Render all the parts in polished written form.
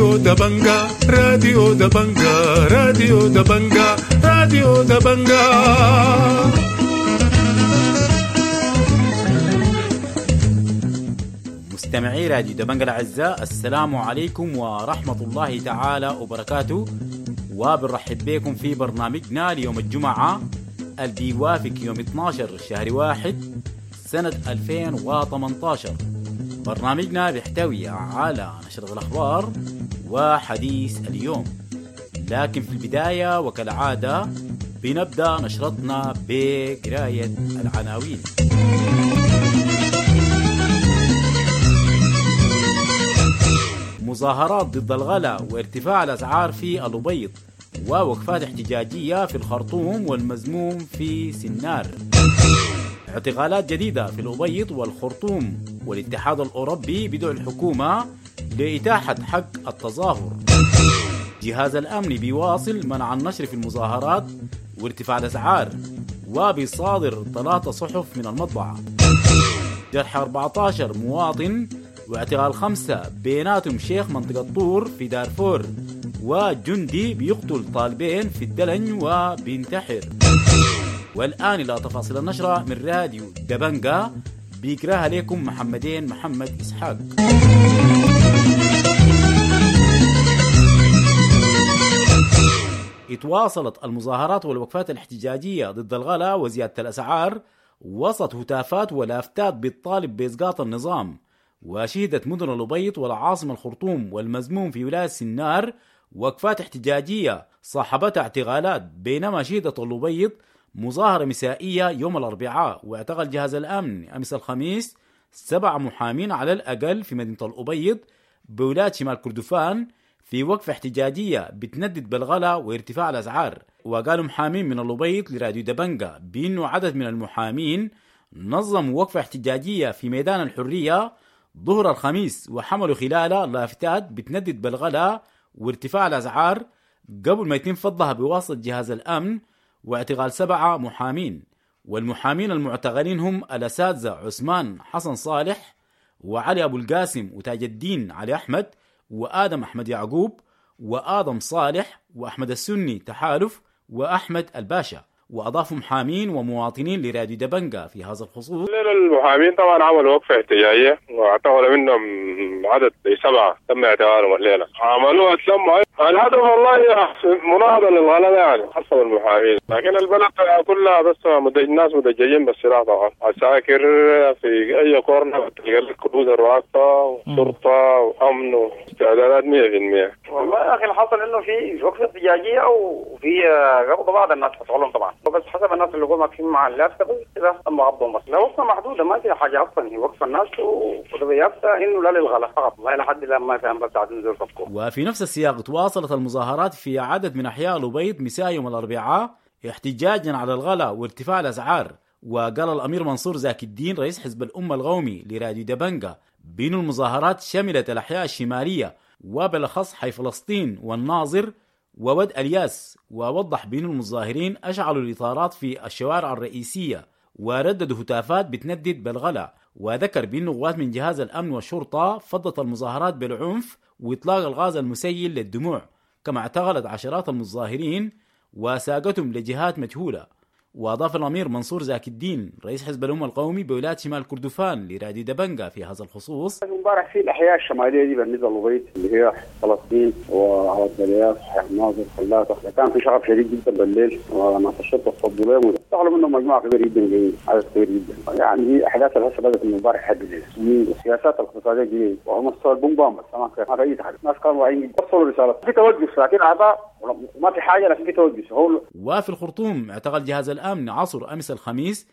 راديو دبنجا، راديو دبنجا، راديو دبنجا، راديو دبنجا. مستمعي راديو دبنجا الأعزاء، السلام عليكم ورحمة الله تعالى وبركاته، وبنرحب بكم في برنامجنا ليوم الجمعة اللي بيوافق يوم 12 شهر 1 سنة 2018. برنامجنا بيحتوي على نشرة الأخبار وحديث اليوم، لكن في البداية وكالعادة بنبدأ نشرتنا بقراية العناوين. مظاهرات ضد الغلاء وارتفاع الأسعار في الأبيض، ووقفات احتجاجية في الخرطوم والمزموم في سنار. اعتقالات جديدة في الأبيض والخرطوم، والاتحاد الأوروبي بدعو الحكومة لإتاحة حق التظاهر. جهاز الأمن بيواصل منع النشر في المظاهرات وارتفاع الأسعار، وبيصادر 3 صحف من المطبعة. جرح 14 مواطن واعتقال 5 بيناتهم شيخ منطقة طور في دارفور، وجندي بيقتل طالبين في الدلن وبينتحر. والآن إلى تفاصيل النشرة من راديو دبنجا، بيقراها لكم محمدين محمد إسحاق. اتواصلت المظاهرات والوقفات الاحتجاجية ضد الغلاء وزيادة الأسعار وسط هتافات ولافتات بالطالب بإسقاط النظام، وشهدت مدن الأبيض والعاصمة الخرطوم والمزموم في ولاية سنار وقفات احتجاجية صاحبتها اعتقالات، بينما شهدت الأبيض مظاهرة مسائية يوم الأربعاء، واعتقل جهاز الأمن أمس الخميس 7 محامين على الأقل في مدينة الأبيض بولاية شمال كردفان في وقفة احتجاجية بتندد بالغلاء وارتفاع الأسعار. وقالوا محامين من الأبيض لراديو دبنجا بأنه عدد من المحامين نظموا وقفة احتجاجية في ميدان الحرية ظهر الخميس، وحملوا خلالها لافتات بتندد بالغلاء وارتفاع الأسعار قبل ما يتم فضها بواسطة جهاز الأمن واعتقال 7 محامين. والمحامين المعتقلين هم الأساتذة عثمان حسن صالح وعلي أبو القاسم وتاج الدين علي أحمد وآدم أحمد يعقوب وآدم صالح وأحمد السني تحالف وأحمد الباشا. وأضافوا محامين ومواطنين لراديو دبنجا في هذا الخصوص. المحامين طبعا عملوا وقفة احتجاجية واعتقلوا منهم عدد 7 تم اعتقالهم الليلة. عملوها تلموا الهدف والله مناهضة للغلاء يعني حسب المحامين، لكن البلد كلها بس الناس مدججين بالسلاح طبعا، عساكر في أي كورنر تلقى لك كروزر واقفة وشرطة وأمن واستعدادات 100%. والله يا أخي الحصل إنه في وقفة احتجاجية وفي قبض بعض الناس حصلهم طبعا، بس حسب الناس اللي هم واقفين مع اللافتة بس كده تم قبضهم، بس لا وقفة محدودة ما في حاجة أصلا، هي وقفة الناس ويافته إنه لا للغلاء فقط، والله لحد الآن ما فهم بس عاد نزول فكوا. وفي نفس السياق تواصلت المظاهرات في عدد من أحياء الأبيض مساء يوم الأربعاء احتجاجا على الغلاء وارتفاع الأسعار. وقال الأمير منصور زاكي الدين رئيس حزب الأمة القومي لراديو دبنجا بأن المظاهرات شملت الأحياء الشمالية وبالأخص حي فلسطين والناظر وود الياس، ووضح بأن المظاهرين أشعلوا الإطارات في الشوارع الرئيسية ورددوا هتافات بتندد بالغلاء. وذكر بأن قوات من جهاز الأمن والشرطة فضت المظاهرات بالعنف وإطلاق الغاز المسيل للدموع، كما اعتقلت عشرات المظاهرين وساقتهم لجهات مجهولة. وأضاف الأمير منصور زاكي الدين رئيس حزب الأمة القومي بولاية شمال كردفان لراديو دبنجا في هذا الخصوص: امبارح في الأحياء الشمالية دي بالنسبة للأبيض اللي هي فلسطين وعوض الياس الناظر فلاته، كان في شغب شديد جدا بالليل وناس الشرطة تصدوا لهم واشتغلوا منهم مجموعة كبيرة جدا جايين عدد كبير جدا. يعني دي أحداث اللي هسه بدأت من امبارح لحد الليل، السياسات الاقتصادية الجديدة وهم الصور بوم بس ما في أي حاجة، الناس كانوا واعيين وصلوا رسالة في توجس، لكن أعضاء وما في حاجة لكن في توجس. وفي الخرطوم اعتقل جهاز الأمن عصر أمس الخميس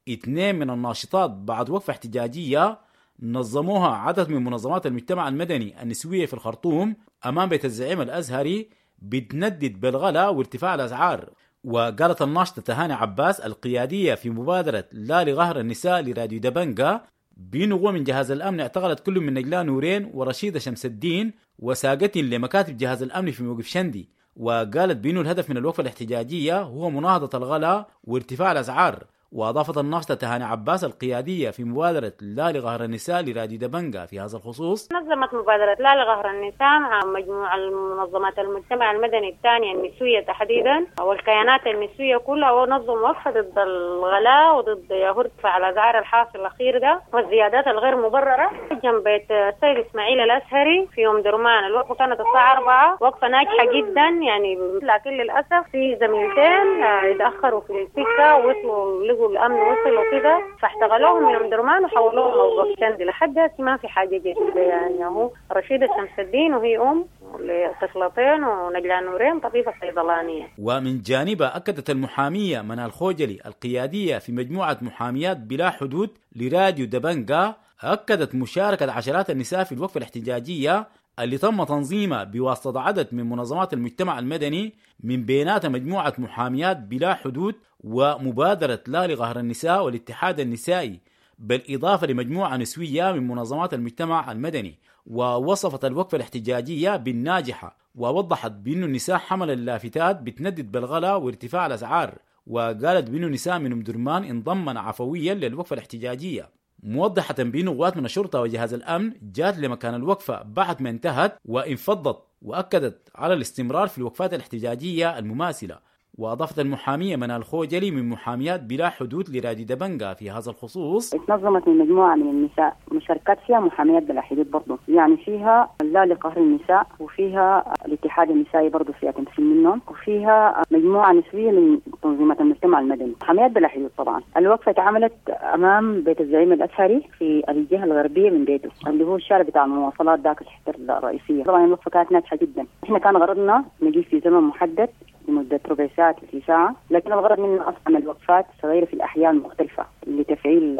2 من الناشطات بعد وقفة احتجاجية نظموها عدد من منظمات المجتمع المدني النسوية في الخرطوم أمام بيت الزعيم الأزهري بتندد بالغلاء وارتفاع الأسعار. وقالت الناشطة تهاني عباس القيادية في مبادرة لا لغهر النساء لراديو دبنجا بنقوة من جهاز الأمن اعتقلت كل من نجلاء نورين ورشيدة شمس الدين وساقتين لمكاتب جهاز الأمن في موقف شندي. وقالت بأنه الهدف من الوقفة الاحتجاجية هو مناهضة الغلاء وارتفاع الأسعار، وأضافت الناشطة تهاني عباس القيادية في مبادرة لا لقهر النساء لراديو دبنجا في هذا الخصوص: نظمت مبادرة لا لقهر النساء مع مجموعة المنظمات المجتمع المدني الثانية النسوية تحديدا والكيانات النسوية كلها، ونظم وقفة ضد الغلاء وضد ارتفاع الأسعار الحاصل الأخير ده والزيادات الغير مبررة جنب بيت السيد إسماعيل الأزهري في أم درمان. الوقفة كانت الساعة 4، وقفة ناجحة جدا يعني، لكن للأسف في زميلتين اتأخروا في السكة ووصلوا لقوا الأمن وصلوا كده فاحتغلوهم من أم درمان وحولوهم موقف شندي. لحد هسه ما في حاجة جديدة يعني. هو رشيدة شمس الدين وهي أم لطفلتين، ونجلاء نورين طبيبة صيدلانية. ومن جانبها أكدت المحامية منال خوجلي القيادية في مجموعة محاميات بلا حدود لراديو دبنجا، أكدت مشاركة عشرات النساء في الوقفة الاحتجاجية اللي تم تنظيمها بواسطة عدد من منظمات المجتمع المدني، من بيناتها مجموعة محاميات بلا حدود ومبادرة لا لقهر النساء والاتحاد النسائي، بالإضافة لمجموعة نسوية من منظمات المجتمع المدني. ووصفت الوقفة الاحتجاجية بالناجحة، ووضحت بأن النساء حمل اللافتات بتندد بالغلاء وارتفاع الأسعار، وقالت بأن النساء من أم درمان انضمن عفويا للوقفة الاحتجاجية، موضحة بأن قوات من الشرطة وجهاز الأمن جات لمكان الوقفة بعد ما انتهت وانفضت، وأكدت على الاستمرار في الوقفات الاحتجاجية المماثلة. وأضافت المحامية منال خوجلي من محاميات بلا حدود لراديو دبنجا في هذا الخصوص: اتنظمت من مجموعة من النساء مشاركات فيها محاميات بلا حدود برضه، يعني فيها لا لقهر النساء، وفيها الاتحاد النسائي برضه فيها تمثيل منهم، وفيها مجموعة نسوية من تنظيمات المجتمع المدني، محاميات بلا حدود طبعا. الوقفة اتعملت أمام بيت الزعيم الأزهري في الجهة الغربية من بيته اللي هو الشارع بتاع المواصلات ذاك الحتة الرئيسية. طبعا الوقفة كانت ناجحة جدا. احنا كان غرضنا نجي في زمن محدد لمدة ربع ساعة 30 ساعة، لكن الغرض منه أصلا الوقفات صغيرة في الأحياء المختلفة لتفعيل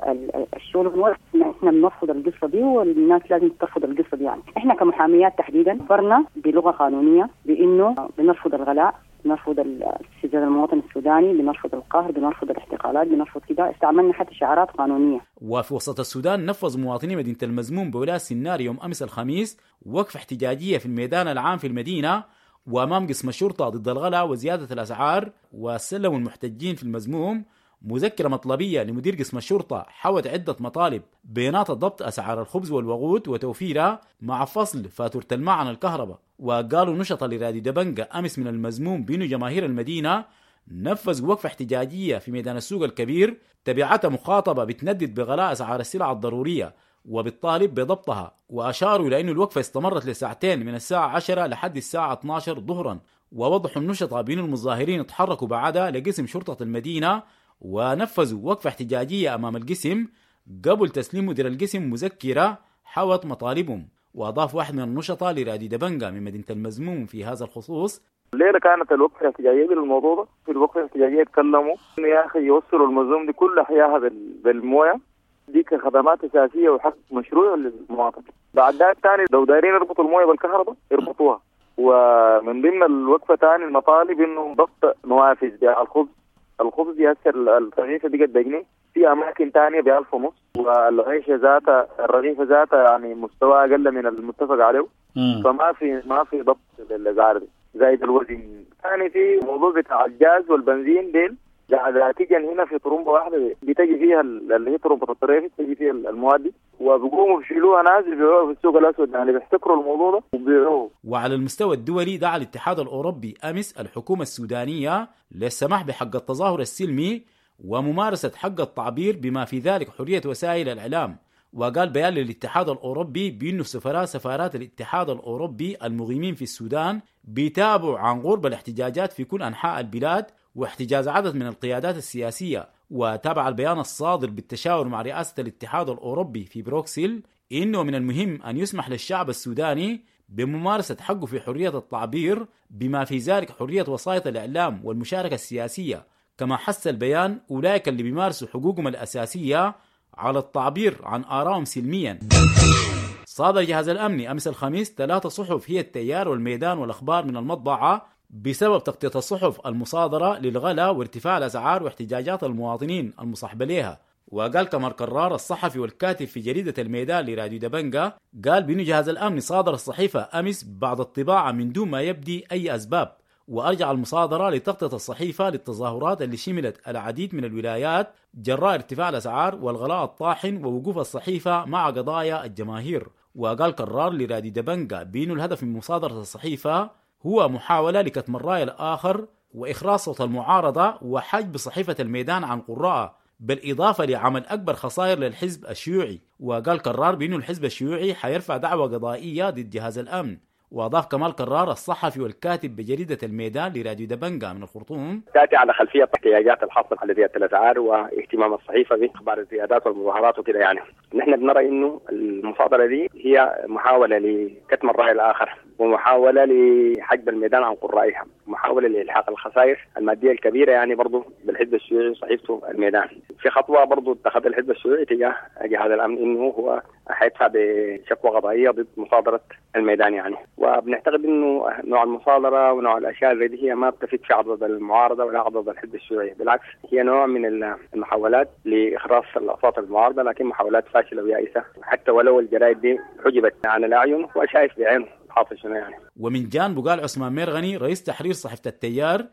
الشغل. احنا بنرفض القصة دي والناس لازم ترفض القصة دي. يعني احنا كمحاميات تحديدا فرنا بلغة قانونية بأنه بنرفض الغلاء، بنرفض استفزاز المواطن السوداني، بنرفض القهر، بنرفض الاحتقالات، بنرفض كده. استعملنا حتى شعارات قانونية. وفي وسط السودان نفذ مواطني مدينة المزموم بولاية سنار يوم أمس الخميس وقفة احتجاجية في الميدان العام في المدينة وأمام قسم الشرطة ضد الغلاء وزيادة الأسعار، وسلموا المحتجين في المزموم مذكرة مطلبية لمدير قسم الشرطة حوت عدة مطالب بينات ضبط أسعار الخبز والوقود وتوفيرها مع فصل فاتورة الماء عن الكهرباء. وقالوا نشطة لراديو دبنجا أمس من المزموم بين جماهير المدينة نفذ وقفة احتجاجية في ميدان السوق الكبير تبعتها مخاطبة بتندد بغلاء أسعار السلع الضرورية وبالطالب بضبطها، وأشاروا إلى أن الوقفة استمرت لساعتين من الساعة 10 لحد الساعة 12 ظهرا. ووضحوا النشطة بأن المظاهرين تحركوا بعدها لقسم شرطة المدينة ونفذوا وقفة احتجاجية أمام القسم قبل تسليم مدير القسم مذكرة حوت مطالبهم. وأضاف واحد من النشطة لراديو دبنجا من مدينة المزموم في هذا الخصوص: الليلة كانت الوقفة الاحتجاجية بالموضوع ده. في الوقفة الاحتجاجية تكلموا إنه يا أخي يوصلوا المزموم دي كل أحياها بالموية دي كخدمات أساسية وحق مشروع للمواطن. بعد ذلك ثاني لو دايرين يربطوا الموية بالكهرباء يربطوها. ومن ضمن الوقفة ثاني المطالب إنه ضبط نوافذ بيع الخبز. الخبز يأثر الرغيفة بقت بجنيه، في أماكن ثانية ب1500، والعيشة ذاتها الرغيفة ذاتها يعني مستوى أقل من المتفق عليه. فما في ما في ضبط للأسعار دي زائد الوزن. ثاني في موضوع بتاع الجاز والبنزين ديل ذاتيا هنا في طرمبة واحدة بتجي فيها اللي هي طرمبة الطريف بتجي فيها المواد دي، وبيقوموا بيشيلوها ناس بيبيعوها في السوق الأسود، يعني بيحتكروا الموضوع ده وبيبيعوه. وعلى المستوى الدولي دعا الاتحاد الأوروبي أمس الحكومة السودانية للسماح بحق التظاهر السلمي وممارسة حق التعبير بما في ذلك حرية وسائل الإعلام. وقال بيان للاتحاد الأوروبي بأنه سفراء سفارات الاتحاد الأوروبي المقيمين في السودان بيتابعوا عن قرب الاحتجاجات في كل أنحاء البلاد واحتجاز عدد من القيادات السياسية. وتابع البيان الصادر بالتشاور مع رئاسة الاتحاد الأوروبي في بروكسل إنه من المهم أن يسمح للشعب السوداني بممارسة حقه في حرية التعبير بما في ذلك حرية وسائط الإعلام والمشاركة السياسية. كما حث البيان أولئك اللي بيمارسوا حقوقهم الأساسية على التعبير عن آرائهم سلميا. صادر الجهاز الأمني أمس الخميس 3 صحف هي التيار والميدان والأخبار من المطبعة بسبب تغطية الصحف المصادرة للغلاء وارتفاع الأسعار واحتجاجات المواطنين المصاحبة لها. وقال كمال كرار الصحفي والكاتب في جريدة الميدان لراديو دبنجا، قال بأن جهاز الأمن صادر الصحيفة أمس بعد الطباعة من دون ما يبدي أي أسباب. وأرجع المصادرة لتغطية الصحيفة للتظاهرات اللي شملت العديد من الولايات جراء ارتفاع الأسعار والغلاء الطاحن ووقوف الصحيفة مع قضايا الجماهير. وقال كرار لراديو دبنجا بأنه الهدف من مصادرة الصحيفة هو محاولة لكتم الرأي الآخر وإخراج صوت المعارضة وحجب صحيفة الميدان عن قراءه، بالإضافة لعمل أكبر خسائر للحزب الشيوعي. وقال كرار بأنه الحزب الشيوعي حيرفع دعوى قضائية ضد جهاز الأمن. وأضاف كمال كرار الصحفي والكاتب بجريدة الميدان لراديو دبنجا من الخرطوم: تأتي على خلفية احتياجات الحاصلة على زيادة الأسعار واهتمام الصحيفة بأخبار الزيادات والمظاهرات وكده. يعني نحن بنرى إنه المصادرة دي هي محاولة لكتم الرأي الآخر، ومحاولة لحجب الميدان عن قرائها، محاولة لإلحاق الخسائر المادية الكبيرة يعني برضو بالحزب الشيوعي وصحيفته الميدان. في خطوة برضو اتخذ الحزب الشيوعي تجاه جهاز الأمن إنه هو حيدفع بشكوى قضائية ضد مصادرة الميدان يعني. وبنعتقد إنه نوع المصادرة ونوع الأشياء زي دي هي ما بتفيد في عضد المعارضة ولا عضد الحزب الشيوعي، بالعكس هي نوع من المحاولات لإخراس الأصوات المعارضة، لكن محاولات فاشلة ويائسة، حتى ولو الجرائد دي حجبت عن الأعين وشايف بعينه حاصل شنو يعني. ومن جانبه قال عثمان ميرغني رئيس تحرير صحيفة التيار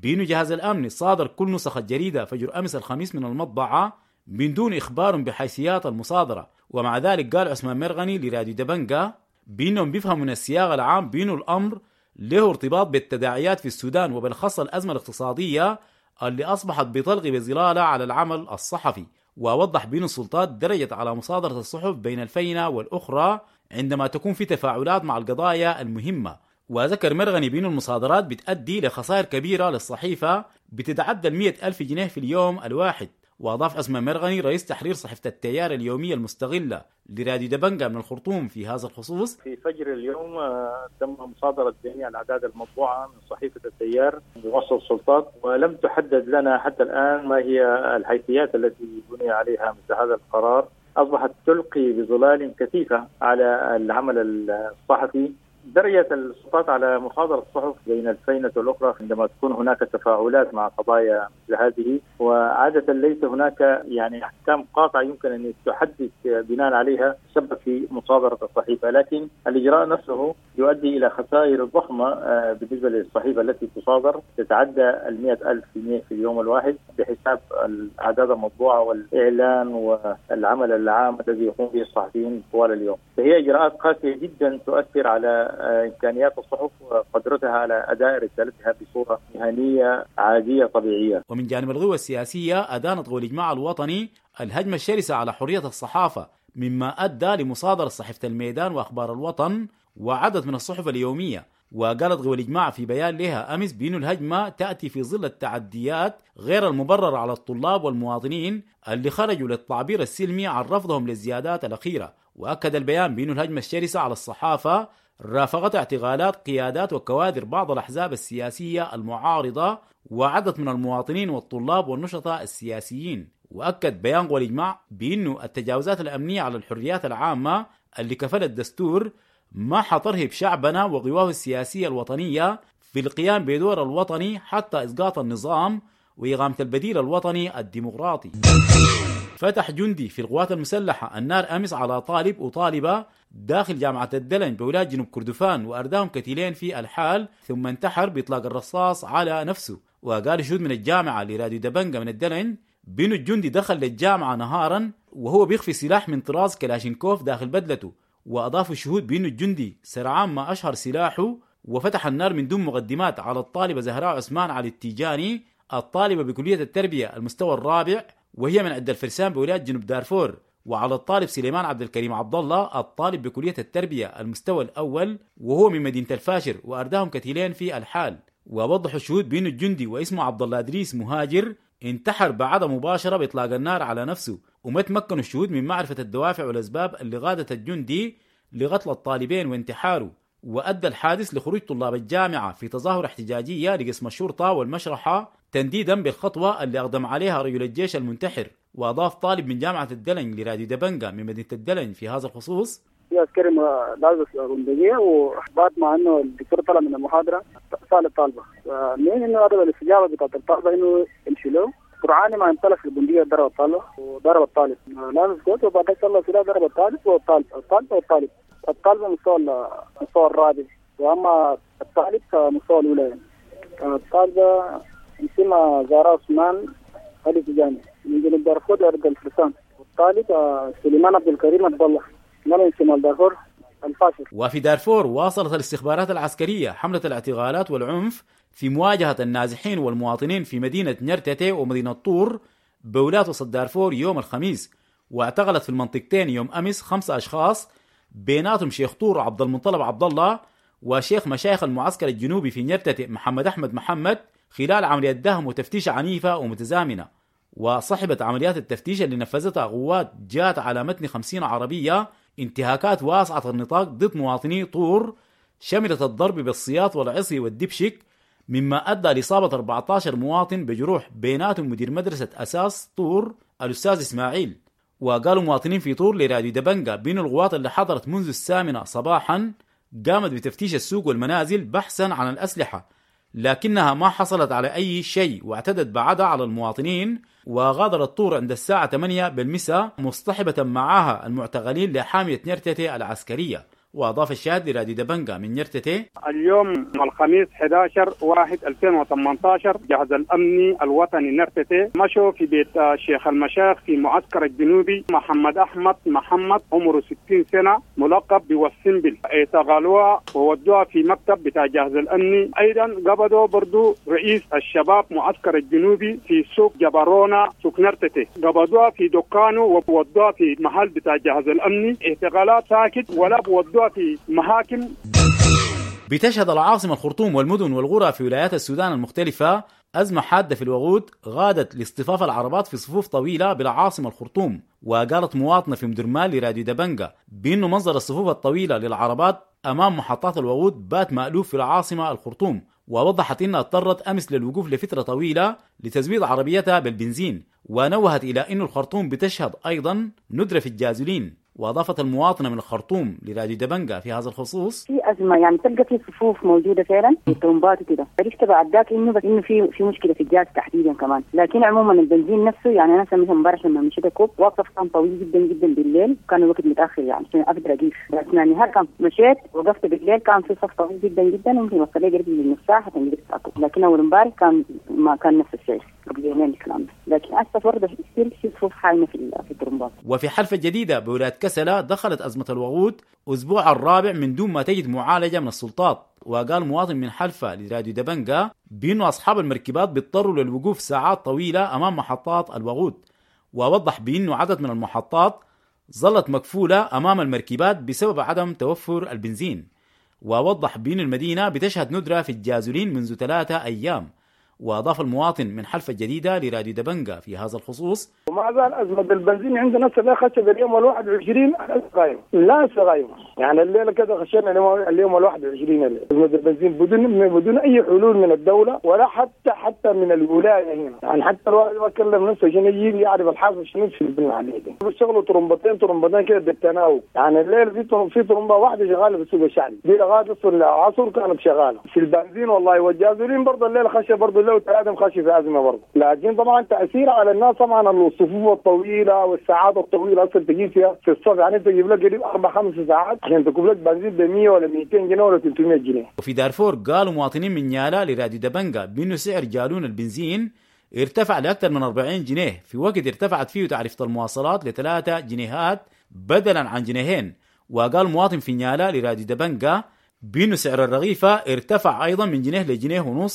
بأنه جهاز الأمن صادر كل نسخ الجريدة فجر أمس الخميس من المطبعة من دون إخبار بحيثيات المصادرة. ومع ذلك قال عثمان ميرغني لراديو دبنجا بأنهم بيفهموا من السياق العام بأنه الأمر له ارتباط بالتداعيات في السودان، وبالخاصة الأزمة الاقتصادية اللي أصبحت بتلغي بظلالها على العمل الصحفي. ووضح بأن السلطات درجت على مصادرة الصحف بين الفينة والأخرى عندما تكون في تفاعلات مع القضايا المهمة. وذكر مرغني بأن المصادرات بتؤدي لخسائر كبيرة للصحيفة بتتعدى 100,000 جنيه في اليوم الواحد. وأضاف عثمان مرغني رئيس تحرير صحيفة التيار اليومية المستغلة لراديو دبنجا من الخرطوم في هذا الخصوص: في فجر اليوم تم مصادرة جميع الأعداد المطبوعة من صحيفة التيار بواسطة السلطات، ولم تحدد لنا حتى الآن ما هي الحيثيات التي بني عليها مثل هذا القرار. أصبحت تلقي بظلال كثيفة على العمل الصحفي. درجة السلطات على مصادرة الصحف بين الفينة والأخرى عندما تكون هناك تفاعلات مع قضايا مثل هذه، وعادة ليس هناك يعني أحكام قاطعة يمكن أن تحدد بناء عليها سبب في مصادرة الصحيفة، لكن الإجراء نفسه يؤدي إلى خسائر ضخمة بالنسبة للصحيفة التي تصادر، تتعدى 100,000 جنيه في اليوم الواحد بحساب الأعداد المطبوعة والإعلان والعمل العام الذي يقوم به الصحفيين طوال اليوم. فهي إجراءات قاسية جدا تؤثر على إمكانيات الصحف وقدرتها على أداء رسالتها بصورة مهنية عادية طبيعية. ومن جانب القوى السياسية أدانت قوى الإجماع الوطني الهجمة الشرسة على حرية الصحافة، مما أدى لمصادرة صحيفة الميدان وأخبار الوطن وعدد من الصحف اليومية. وقالت قوى الإجماع في بيان لها أمس بأن الهجمة تأتي في ظل التعديات غير المبررة على الطلاب والمواطنين اللي خرجوا للتعبير السلمي عن رفضهم للزيادات الأخيرة. وأكد البيان بأن الهجمة الشرسة على الصحافة رافقت اعتقالات قيادات وكوادر بعض الأحزاب السياسية المعارضة وعدد من المواطنين والطلاب والنشطاء السياسيين. وأكد بيان قوى الإجماع بأنه التجاوزات الأمنية على الحريات العامة اللي كفل الدستور ما حترهب شعبنا وقواه السياسية الوطنية في القيام بدور الوطني حتى إسقاط النظام وإقامة البديل الوطني الديمقراطي. فتح جندي في القوات المسلحة النار أمس على طالب وطالبة داخل جامعة الدلن بولاية جنوب كردفان وأرداهم كتيلين في الحال، ثم انتحر بإطلاق الرصاص على نفسه. وقال شهود من الجامعة لراديو دبنجا من الدلن بأن الجندي دخل للجامعة نهارا وهو بيخفي سلاح من طراز كلاشينكوف داخل بدلته. وأضاف الشهود بأن الجندي سرعان ما أشهر سلاحه وفتح النار من دون مقدمات على الطالبة زهراء عثمان علي التيجاني الطالبة بكلية التربية المستوى الرابع وهي من عند الفرسان بولاية جنوب دارفور، وعلى الطالب سليمان عبد الكريم عبد الله الطالب بكلية التربية المستوى الأول وهو من مدينة الفاشر، وأرداهم كتيلين في الحال. ووضحوا الشهود بأن الجندي واسمه عبد الله إدريس مهاجر انتحر بعد مباشرة بإطلاق النار على نفسه، وما تمكنوا الشهود من معرفة الدوافع والأسباب اللي غادت الجندي لقتل الطالبين وانتحاره. وأدى الحادث لخروج طلاب الجامعة في تظاهر احتجاجية لقسم الشرطة والمشرحة تنديدا بالخطوة اللي أقدم عليها رجل الجيش المنتحر. وأضاف طالب من جامعة الدلن لراديو دبنجا من مدينة الدلن في هذا الخصوص: في عسكري لابس بندقية، وبعد ما انه الدكتور طلع من المحاضرة سأل الطالبة من انه هذا الاستجابة بتاعت الطالبة انه يمشي له قرعاني ما انطلق في البندقية، ضرب الطالب وضرب الطالب لابس كوت، وبعد طلع سلاح ضرب الطالب والطالب الطالب والطالب الطالب مستوى الرابع، واما الطالب فمستوى الاولى يعني. الطالبة اسمها زهراء عثمان علي تجاني من جنوب دارفور أرض الفرسان، والطالب سليمان عبد الكريم عبد الله من شمال دارفور الفاشر. وفي دارفور واصلت الاستخبارات العسكرية حملة الاعتقالات والعنف في مواجهة النازحين والمواطنين في مدينة نيرتتي ومدينة طور بولاية وسط دارفور يوم الخميس، واعتقلت في المنطقتين يوم أمس 5 أشخاص بيناتهم شيخ طور عبد المطلب عبد الله وشيخ مشايخ المعسكر الجنوبي في نيرتتي محمد أحمد محمد خلال عملية دهم وتفتيش عنيفة ومتزامنة. وصحبت عمليات التفتيش اللي نفذتها قوات جات على متن 50 عربية انتهاكات واسعة النطاق ضد مواطني طور شملت الضرب بالسياط والعصي والدبشك، مما أدى لإصابة 14 مواطن بجروح بيناتهم مدير مدرسة أساس طور الأستاذ إسماعيل. وقالوا مواطنين في طور لراديو دبنجا بين القوات اللي حضرت منذ 8 صباحا قامت بتفتيش السوق والمنازل بحثا عن الأسلحة، لكنها ما حصلت على أي شيء واعتدت بعدها على المواطنين. وغادرت طور عند الساعة 8 بالمساء مصطحبة معها المعتقلين لحامية نيرتتي العسكرية. وأضاف الشاهد لراديو دبنجا من نيرتتي: اليوم الخميس 11/1/2018 جهاز الأمني الوطني نيرتتي مشوا في بيت شيخ المشايخ في معسكر الجنوبي محمد أحمد محمد عمره 60 سنة ملقب بوسنبل، اعتقلوها وودوها في مكتب بتاع جهاز الأمني. أيضا قبضوا برضو رئيس الشباب معسكر الجنوبي في سوق جبرونا سوق نيرتتي، قبضوها في دكانه وودوها في محل بتاع جهاز الأمني. اعتقالات ساكت ولا بودوها في محاكم. بتشهد العاصمة الخرطوم والمدن والقرى في ولايات السودان المختلفة أزمة حادة في الوقود غادت لاصطفاف العربات في صفوف طويلة بالعاصمة الخرطوم. وقالت مواطنة في مدرمان لراديو دبنجا بأنه منظر الصفوف الطويلة للعربات أمام محطات الوقود بات مألوف في العاصمة الخرطوم، ووضحت أنها اضطرت أمس للوقوف لفترة طويلة لتزويد عربيتها بالبنزين، ونوهت إلى أن الخرطوم بتشهد أيضا ندرة في الجازولين. وأضافت المواطنة من الخرطوم لراديو دبنجا في هذا الخصوص: في أزمة، يعني تلقى في صفوف موجودة فعلا في طرمبات وكده. عرفت بعد ذاك إنه بس إنه في مشكلة في الجاز تحديدا كمان، لكن عموما البنزين نفسه يعني أنا مثلا امبارح لما مشيت كوب وقف كان طويل جدا جدا بالليل، كان الوقت متأخر يعني عشان أقدر أقيف، بس يعني هل كان مشيت وقفت بالليل كان في صف طويل جدا جدا وممكن وصل لي قريب من نص ساعة حتى قدرت أكل، لكن أول امبارح كان ما كان نفس الشيء قبل يومين الكلام ده، لكن أسف برضه في صفوف حايمة في الطرمبات. وفي حلفة جديدة بولاية كسلة دخلت أزمة الوقود أسبوع الرابع من دون ما تجد معالجة من السلطات. وقال مواطن من حلفة لراديو دبنجا بأنه أصحاب المركبات بيضطروا للوقوف ساعات طويلة أمام محطات الوقود، ووضح بأنه عدد من المحطات ظلت مقفولة أمام المركبات بسبب عدم توفر البنزين. ووضح بأن المدينة بتشهد ندرة في الجازولين منذ 3 أيام. وأضاف المواطن من حلفة الجديدة لراديو دبنجا في هذا الخصوص: وما زال أزمة البنزين عندنا لسه خشب اليوم 21 قايمة، لا قايمة، يعني الليلة كده خشينا اليوم 21 أزمة البنزين بدون أي حلول من الدولة ولا حتى من الولاية هنا، يعني حتى الواحد ما كلم نفسه عشان يجي يعرف الحاصل شنو في المحلية دي. بيشتغلوا طرمبتين كده بالتناوب، يعني الليل في طرمبة واحدة شغالة في السوق الشعبي دي لغاية العصر كانت شغالة في البنزين والله، والجازولين برضه الليلة خشب برضه لو ثلاثة خشي في أزمة برضه، لكن طبعا تأثير على الناس طبعا الصفوف الطويلة والساعات الطويلة أصلا تجيب فيها في الصف، يعني تجيب لك قريب 4-5 ساعات عشان تجيب لك بنزين ب 100 ولا 200 جنيه ولا 300 جنيه. وفي دارفور قالوا مواطنين من نيالا لراديو دبنجا بأنه سعر جالون البنزين ارتفع لأكثر من 40 جنيه في وقت ارتفعت فيه تعرفة المواصلات ل3 جنيهات بدلا عن 2 جنيهين. وقال مواطن في نيالا لراديو دبنجا بأنه سعر الرغيفة ارتفع أيضا من 1 جنيه ل1.5 جنيه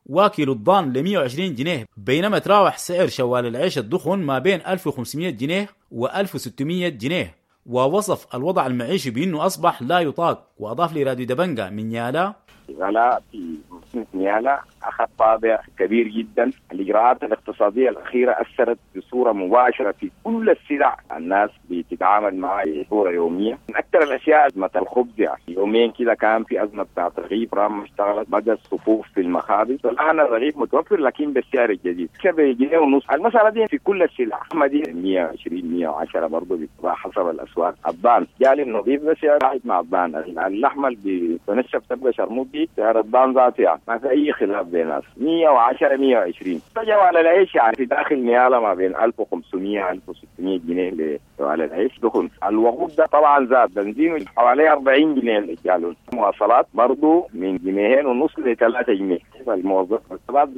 وكيلو الضان ل 120 جنيه، بينما تراوح سعر شوال العيش الدخن ما بين 1500 جنيه و 1600 جنيه. ووصف الوضع المعيشي بأنه أصبح لا يطاق. وأضاف لراديو دبنجا من نيالا: الغلاء في مدينة نيالا أخذ طابع كبير جدا. الإجراءات الاقتصادية الأخيرة أثرت بصورة مباشرة في كل السلع الناس بتتعامل معها بصورة يومية. من أكثر الأشياء أزمة الخبز، يعني يومين كده كان في أزمة بتاعت رغيف رام اشتغلت، بدأ الصفوف في المخابز، الآن الرغيف متوفر لكن بالسعر الجديد 7.5 جنيه. المسألة دي في كل السلع، دي 120 110 برضه بتباع حسب الأسواق. الضان جالي النظيف بسعر واحد مع الضان، اللحمة اللي بتنشف تبقى شرموط دي سعر الضان ذاته يعني ما في اي خلاف بين الناس 110 120. على العيش يعني في داخل نيالا ما بين 1500 1600 جنيه على العيش دخن. الوقود ده طبعا زاد، بنزين حوالي 40 جنيه الجالون، مواصلات برضه من 2.5 جنيه ل 3 جنيه. الموظف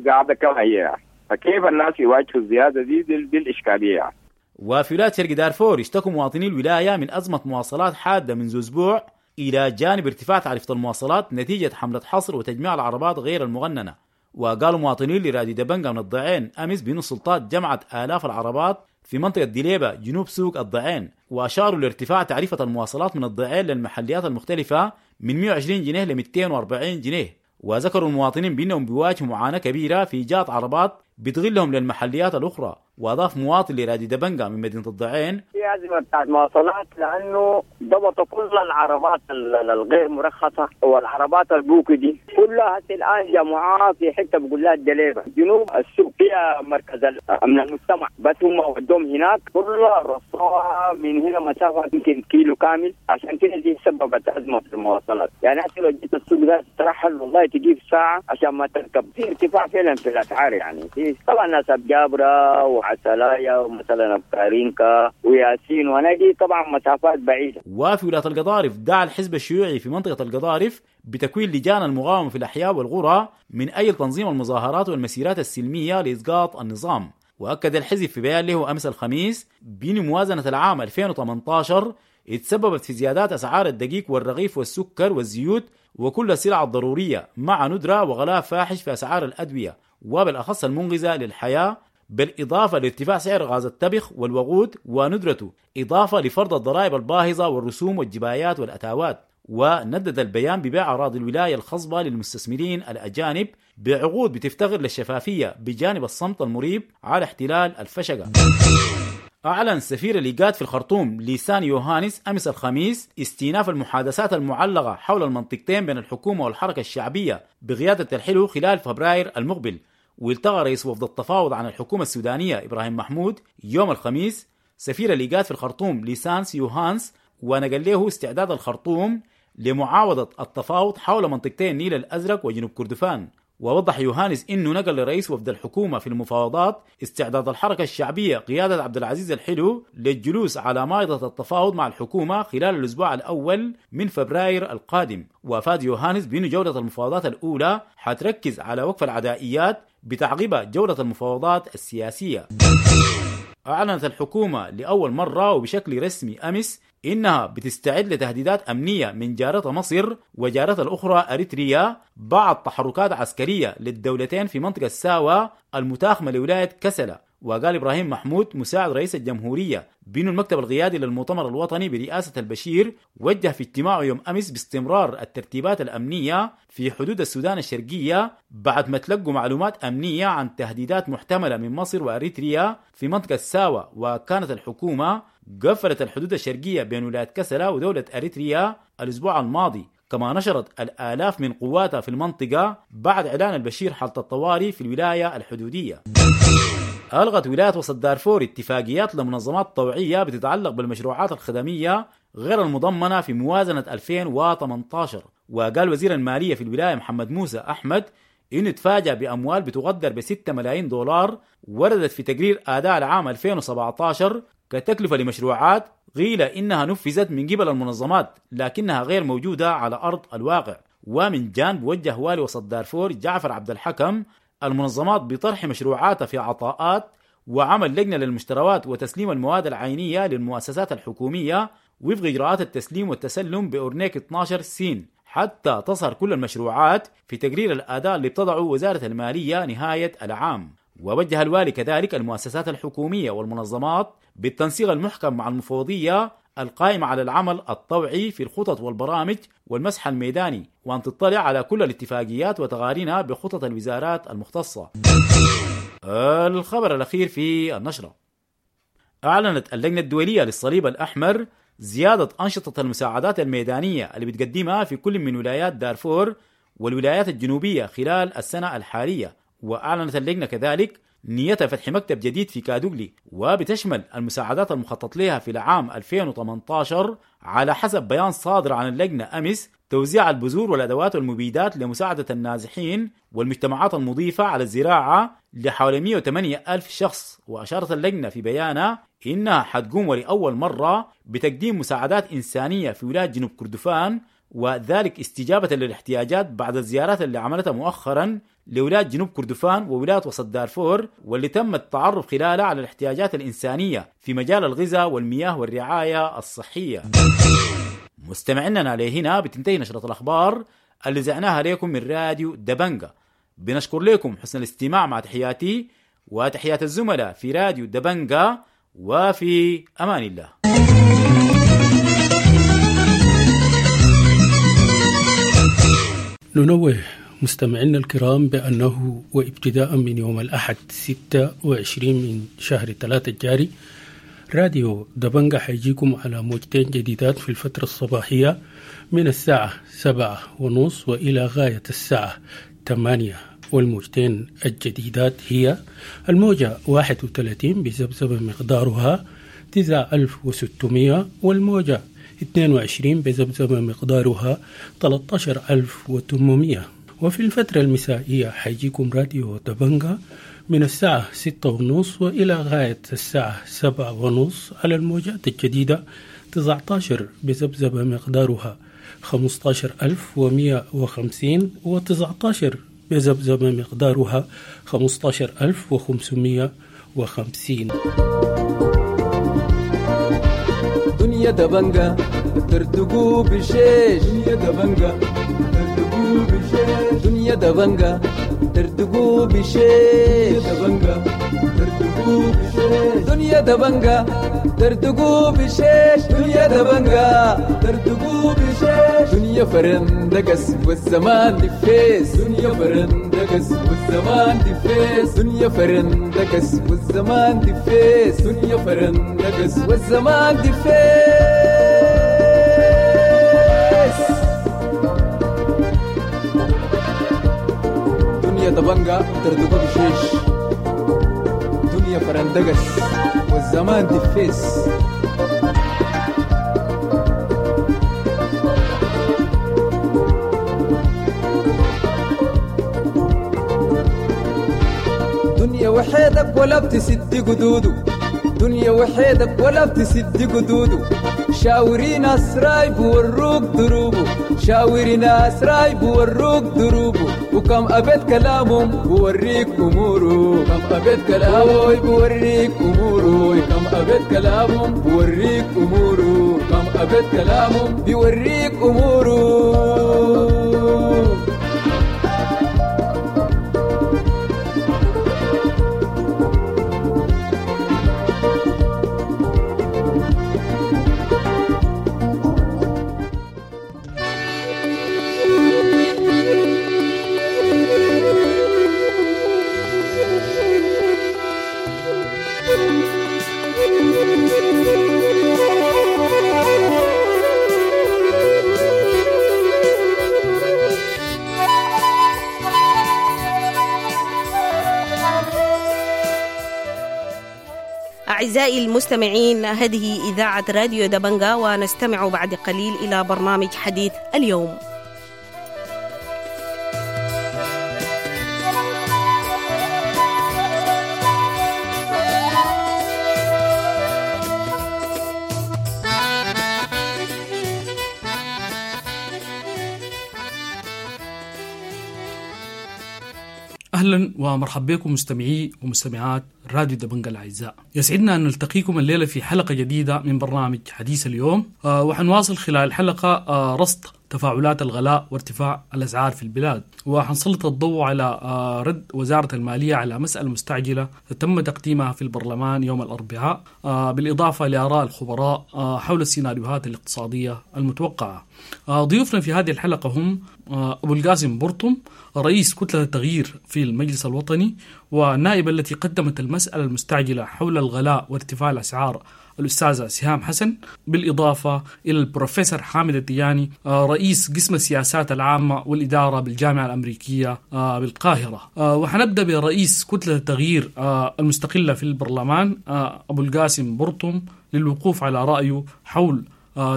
قاعدة كما هي يعني. فكيف الناس يواجهوا الزيادة دي؟ دي الاشكالية يعني. وفي ولاية شرق دارفور اشتكوا مواطني الولاية من ازمة مواصلات حادة منذ اسبوع، الى جانب ارتفاع تعرفه المواصلات نتيجة حمله حصر وتجميع العربات غير المغننه. وقالوا مواطنين لراديو دبنجا من الضعين امس بأن السلطات جمعت الاف العربات في منطقة دليبه جنوب سوق الضعين، واشاروا لارتفاع تعرفه المواصلات من الضعين للمحليات المختلفة من 120 جنيه ل 240 جنيه. وذكروا المواطنين بانهم بيواجهوا معاناة كبيرة في ايجاد عربات بتغلهم للمحليات الاخرى. واضاف مواطن لراديو دبنجا من مدينة الضعين: في ازمة بتاعت مواصلات لانه ضبطوا كل العربات الغير مرخصة والعربات البوكي دي كلها هسه الان جمعوها في حتة بقول لها الدليبه جنوب السوق، فيها مركز امن المجتمع، بس هم ودوهم هناك كلها رصوها من هنا مسافة يمكن كيلو كامل، عشان كده دي سببت ازمة في المواصلات. يعني هسه لو جيت السوق ده ترحل والله تجيب ساعة عشان ما تركب. في ارتفاع فعلا في الاسعار يعني، في طبعا ناس ابجابره وعسلايا ومثلا ابكارينكا وياسين ونجي طبعا مسافات بعيدة. وفي ولاية القضارف دعا الحزب الشيوعي في منطقة القضارف بتكوين لجان المقاومة في الاحياء والقرى من اجل تنظيم المظاهرات والمسيرات السلمية لاسقاط النظام. واكد الحزب في بيان له امس الخميس بان موازنه العام 2018 اتسببت في زيادات اسعار الدقيق والرغيف والسكر والزيوت وكل السلع الضرورية، مع ندره وغلاء فاحش في اسعار الادوية وبالاخص المنقذه للحياة، بالإضافة لارتفاع سعر غاز الطبخ والوقود وندرته، إضافة لفرض الضرائب الباهظة والرسوم والجبايات والأتاوات. وندد البيان ببيع أراضي الولاية الخصبة للمستثمرين الأجانب بعقود بتفتقر للشفافية، بجانب الصمت المريب على احتلال الفشقة. أعلن سفير الإيجاد في الخرطوم ليسان يوهانس أمس الخميس استئناف المحادثات المعلقة حول المنطقتين بين الحكومة والحركة الشعبية بقيادة الحلو خلال فبراير المقبل. والتقى رئيس وفد التفاوض عن الحكومة السودانية إبراهيم محمود يوم الخميس سفير الإيجاد في الخرطوم ليسانس يوهانس، ونقل له استعداد الخرطوم لمعاوضة التفاوض حول منطقتين النيل الأزرق وجنوب كردفان. ووضح يوهانس انه نقل لرئيس وفد الحكومة في المفاوضات استعداد الحركة الشعبية قيادة عبد العزيز الحلو للجلوس على مائدة التفاوض مع الحكومة خلال الاسبوع الاول من فبراير القادم. وافاد يوهانس بأن جولة المفاوضات الاولى حتركز على وقف العدائيات بتعقيبها جولة المفاوضات السياسية. أعلنت الحكومة لأول مرة وبشكل رسمي أمس إنها بتستعد لتهديدات أمنية من جارتها مصر وجارتها الأخرى أريتريا بعد تحركات عسكرية للدولتين في منطقة ساوا المتاخمة لولاية كسلة. وقال إبراهيم محمود مساعد رئيس الجمهورية بأن المكتب القيادي للمؤتمر الوطني برئاسة البشير وجه في اجتماعه يوم أمس باستمرار الترتيبات الأمنية في حدود السودان الشرقية بعد ما تلقوا معلومات أمنية عن تهديدات محتملة من مصر وأريتريا في منطقة ساوا. وكانت الحكومة قفلت الحدود الشرقية بين ولاية كسلة ودولة أريتريا الأسبوع الماضي، كما نشرت الآلاف من قواتها في المنطقة بعد إعلان البشير حالة الطوارئ في الولاية الحدودية. ألغت ولاية وسط دارفور اتفاقيات لمنظمات طوعية بتتعلق بالمشروعات الخدمية غير المضمنة في موازنة 2018. وقال وزير المالية في الولاية محمد موسى أحمد إنه تفاجأ بأموال بتقدر ب 6 ملايين دولار وردت في تقرير أداء العام 2017 كتكلفة لمشروعات قيل إنها نفذت من قبل المنظمات لكنها غير موجودة على أرض الواقع. ومن جانب وجه والي وسط دارفور جعفر عبد الحكم المنظمات بطرح مشروعاتها في عطاءات وعمل لجنة للمشتريات وتسليم المواد العينية للمؤسسات الحكومية وفق إجراءات التسليم والتسلم بأورنيك 12 سين حتى تظهر كل المشروعات في تقرير الأداء اللي بتضعه وزارة المالية نهاية العام. ووجه الوالي كذلك المؤسسات الحكومية والمنظمات بالتنسيق المحكم مع المفوضية القائمة على العمل الطوعي في الخطط والبرامج والمسح الميداني، وأن تطلع على كل الاتفاقيات وتقارينها بخطط الوزارات المختصة. الخبر الأخير في النشرة: أعلنت اللجنة الدولية للصليب الأحمر زيادة أنشطة المساعدات الميدانية اللي بتقدمها في كل من ولايات دارفور والولايات الجنوبية خلال السنة الحالية. وأعلنت اللجنة كذلك نيتها فتح مكتب جديد في كادوغلي، وبتشمل المساعدات المخطط لها في العام 2018 على حسب بيان صادر عن اللجنة أمس توزيع البذور والأدوات والمبيدات لمساعدة النازحين والمجتمعات المضيفة على الزراعة لحوالي 108 ألف شخص. وأشارت اللجنة في بيانها إنها حتقوم ولأول مرة بتقديم مساعدات إنسانية في ولاية جنوب كردفان، وذلك استجابة للاحتياجات بعد الزيارات اللي عملتها مؤخرا لولاية جنوب كردفان وولاية وسط دارفور، واللي تم التعرف خلالها على الاحتياجات الإنسانية في مجال الغذاء والمياه والرعاية الصحية. مستمعينا لهنا بتنتهي نشرة الأخبار اللي زعناها لكم من راديو دبنجا. بنشكر لكم حسن الاستماع، مع تحياتي وتحيات الزملاء في راديو دبنجا، وفي أمان الله. ننوه مستمعينا الكرام بأنه وابتداء من يوم الأحد 26 من شهر 3 الجاري، راديو دبنجا حيجيكم على موجتين جديدات في الفترة الصباحية من الساعة 7:30 وإلى غاية الساعة 8، والموجتين الجديدات هي الموجة 31 بذبذبة مقدارها 9600، والموجة 22 بذبذبة مقدارها 13800. وفي الفترة المسائية حيجيكم راديو دبنجا من الساعة 6:30 وإلى غاية الساعة 7:30 على الموجات الجديدة 19 بذبذبة مقدارها 15150، و19 بذبذبة مقدارها 15550. دنيا دبنجا ترتقو بشيش، دنيا دبنجا ترتقو بشيش، دنيا دبنجا ترتقو بشيش، دبنجا ترتقو بشيش، دنيا دبنجا ترتقو بشيش، دنيا دبنجا ترتقو بشيش، دنيا فرندقس والزمان دفيس، دنيا فرندقس والزمان دفيس، دنيا فرندقس والزمان دفيس، دنيا فرندقس والزمان دفيس. دنيا دبنجا ترتقو بشيش، دنيا فرندقس والزمان دفيس. دنيا وحيدك ولا بتسد قدوده، دنيا وحيدك ولا بتسد قدوده، شاوري ناس رايب وروك دروبه، شاوري ناس رايب وروك دروبه، وكم أبيت كلامهم بوريك أموره، كم أبيت كلامه بوريك أموره، كم أبيت كلامهم بوريك أموره، كم أبيت كلامهم بيوريك أموره. أعزائي المستمعين، هذه إذاعة راديو دبنجا، ونستمع بعد قليل إلى برنامج حديث اليوم. أهلا ومرحبا بكم مستمعي ومستمعات راديو دبنجا الأعزاء. يسعدنا أن نلتقيكم الليلة في حلقة جديدة من برنامج حديث اليوم، وحنواصل خلال الحلقة رصد تفاعلات الغلاء وارتفاع الأسعار في البلاد، وحنسلط الضوء على رد وزارة المالية على مسألة مستعجلة تم تقديمها في البرلمان يوم الأربعاء، بالإضافة لآراء الخبراء حول السيناريوهات الاقتصادية المتوقعة. ضيوفنا في هذه الحلقة هم أبو القاسم برطم، رئيس كتلة التغيير في المجلس الوطني، والنائبة التي قدمت المسألة المستعجلة حول الغلاء وارتفاع الأسعار الأستاذة سهام حسن، بالإضافة إلى البروفيسور حامد الدياني، رئيس قسم السياسات العامة والإدارة بالجامعة الأمريكية بالقاهرة. وحنبدأ برئيس كتلة التغيير المستقلة في البرلمان أبو القاسم برطم للوقوف على رأيه حول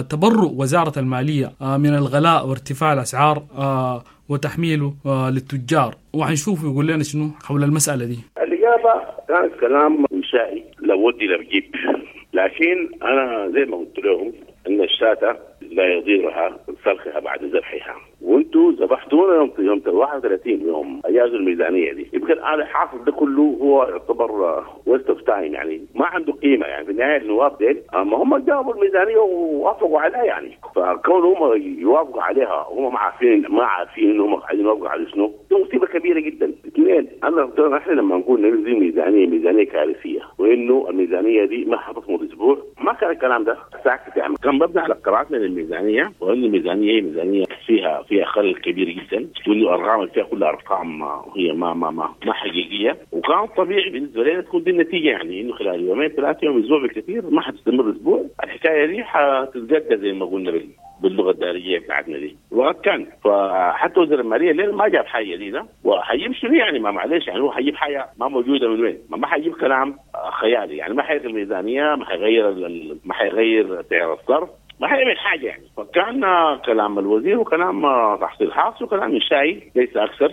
تبرؤ وزارة المالية من الغلاء وارتفاع الأسعار وتحميله للتجار، وحنشوف يقول لنا شنو حول المسألة دي. الإجابة كانت كلام إنشائي لا ودي لا بجيب، لكن أنا زي ما قلت لهم إن الشاة لا يضيرها سلخها بعد ذبحها، وانتوا ذبحتونا يوم 31 يوم اجازوا الميزانية دي. يمكن الان الحاصل ده كله هو يعتبر waste of time، يعني ما عنده قيمة. يعني في النهاية النواب ديل ما هم جابوا الميزانية ووافقوا عليها، يعني فكون هم يوافقوا عليها وهم ما عارفين ان هم عايزين يوافقوا على شنو، دي مصيبة كبيرة جدا. اثنين، انا احنا لما نقول ننزل ميزانية كارثية وانه الميزانية دي ما حتصمد اسبوع، ما كان الكلام ده ساكت. يعني كان مبني على قراءتنا للميزانيه، وان الميزانية هي ميزانية فيها خلل كبير جدا، وانه الارقام فيها كلها ارقام هي ما ما ما ما حقيقية، وكان طبيعي بالنسبة لنا تكون دي النتيجة، يعني انه خلال يومين 3 يوم اسبوع بالكثير، ما حتستمر اسبوع، الحكاية دي حتتجدد زي ما قلنا باللغة الدارجيه بتاعتنا دي. وقد كان، فحتى وزير المالية ليه ما جاب حاجة جديدة، وحيجيب شنو يعني؟ ما معلش، يعني هو حيجيب حاجة ما موجودة من وين؟ ما حيجيب كلام خيالي، يعني ما حيغير الميزانية، ما حيغير سعر الصرف، ما حيعمل حاجة يعني. فكان كلام الوزير وكلام تحصيل حاصل وكلام انشائي ليس اكثر.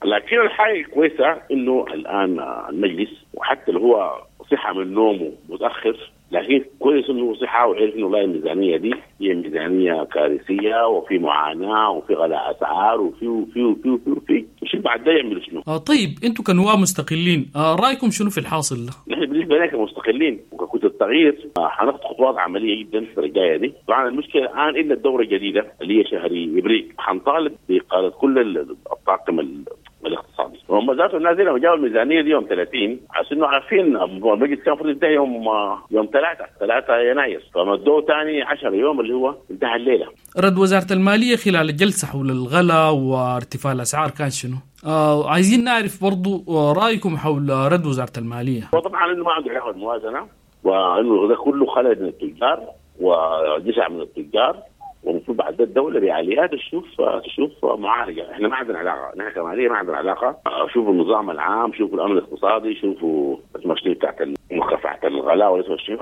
لكن الحاجة الكويسة انه الان المجلس وحتى اللي هو صحى من نومه متاخر، لكن كويس انه صحى وعرف انه والله الميزانية دي هي ميزانية كارثية وفي معاناة وفي غلاء اسعار وفي وفي وفي وفي وفي وشوف بعد ده يعملوا شنو. طيب انتم كنواب مستقلين رايكم شنو في الحاصل ده؟ نحن بالنسبة لنا كمستقلين وككتله التغيير حناخد خطوات عملية جدا في الجاية دي. طبعا المشكلة الان الا الدورة الجديدة اللي هي شهر ابريل حنطالب باقالة كل الطاقم الاقتصادي. وهم ذاته الناس لما جابوا الميزانية دي يوم 30 عشان انه عارفين المجلس كان المفروض ينتهي يوم 3 يناير، فمدوه ثاني 10 يوم اللي هو انتهى الليلة. رد وزارة المالية خلال الجلسة حول الغلاء وارتفاع الاسعار كان شنو؟ عايزين نعرف برضو رايكم حول رد وزارة المالية. وطبعا انه ما عنده علاقة بالموازنه، وانه ده كله خلل من التجار وجشع من التجار، ومفروض بعد الدولة بعاليات تشوف معالجة. احنا ما عندنا علاقة، نحن كماليه ما عندنا علاقة. شوفوا النظام العام، شوفوا الامن الاقتصادي، شوفوا المشكلة بتاعت مكافحة الغلاء ولا شنو.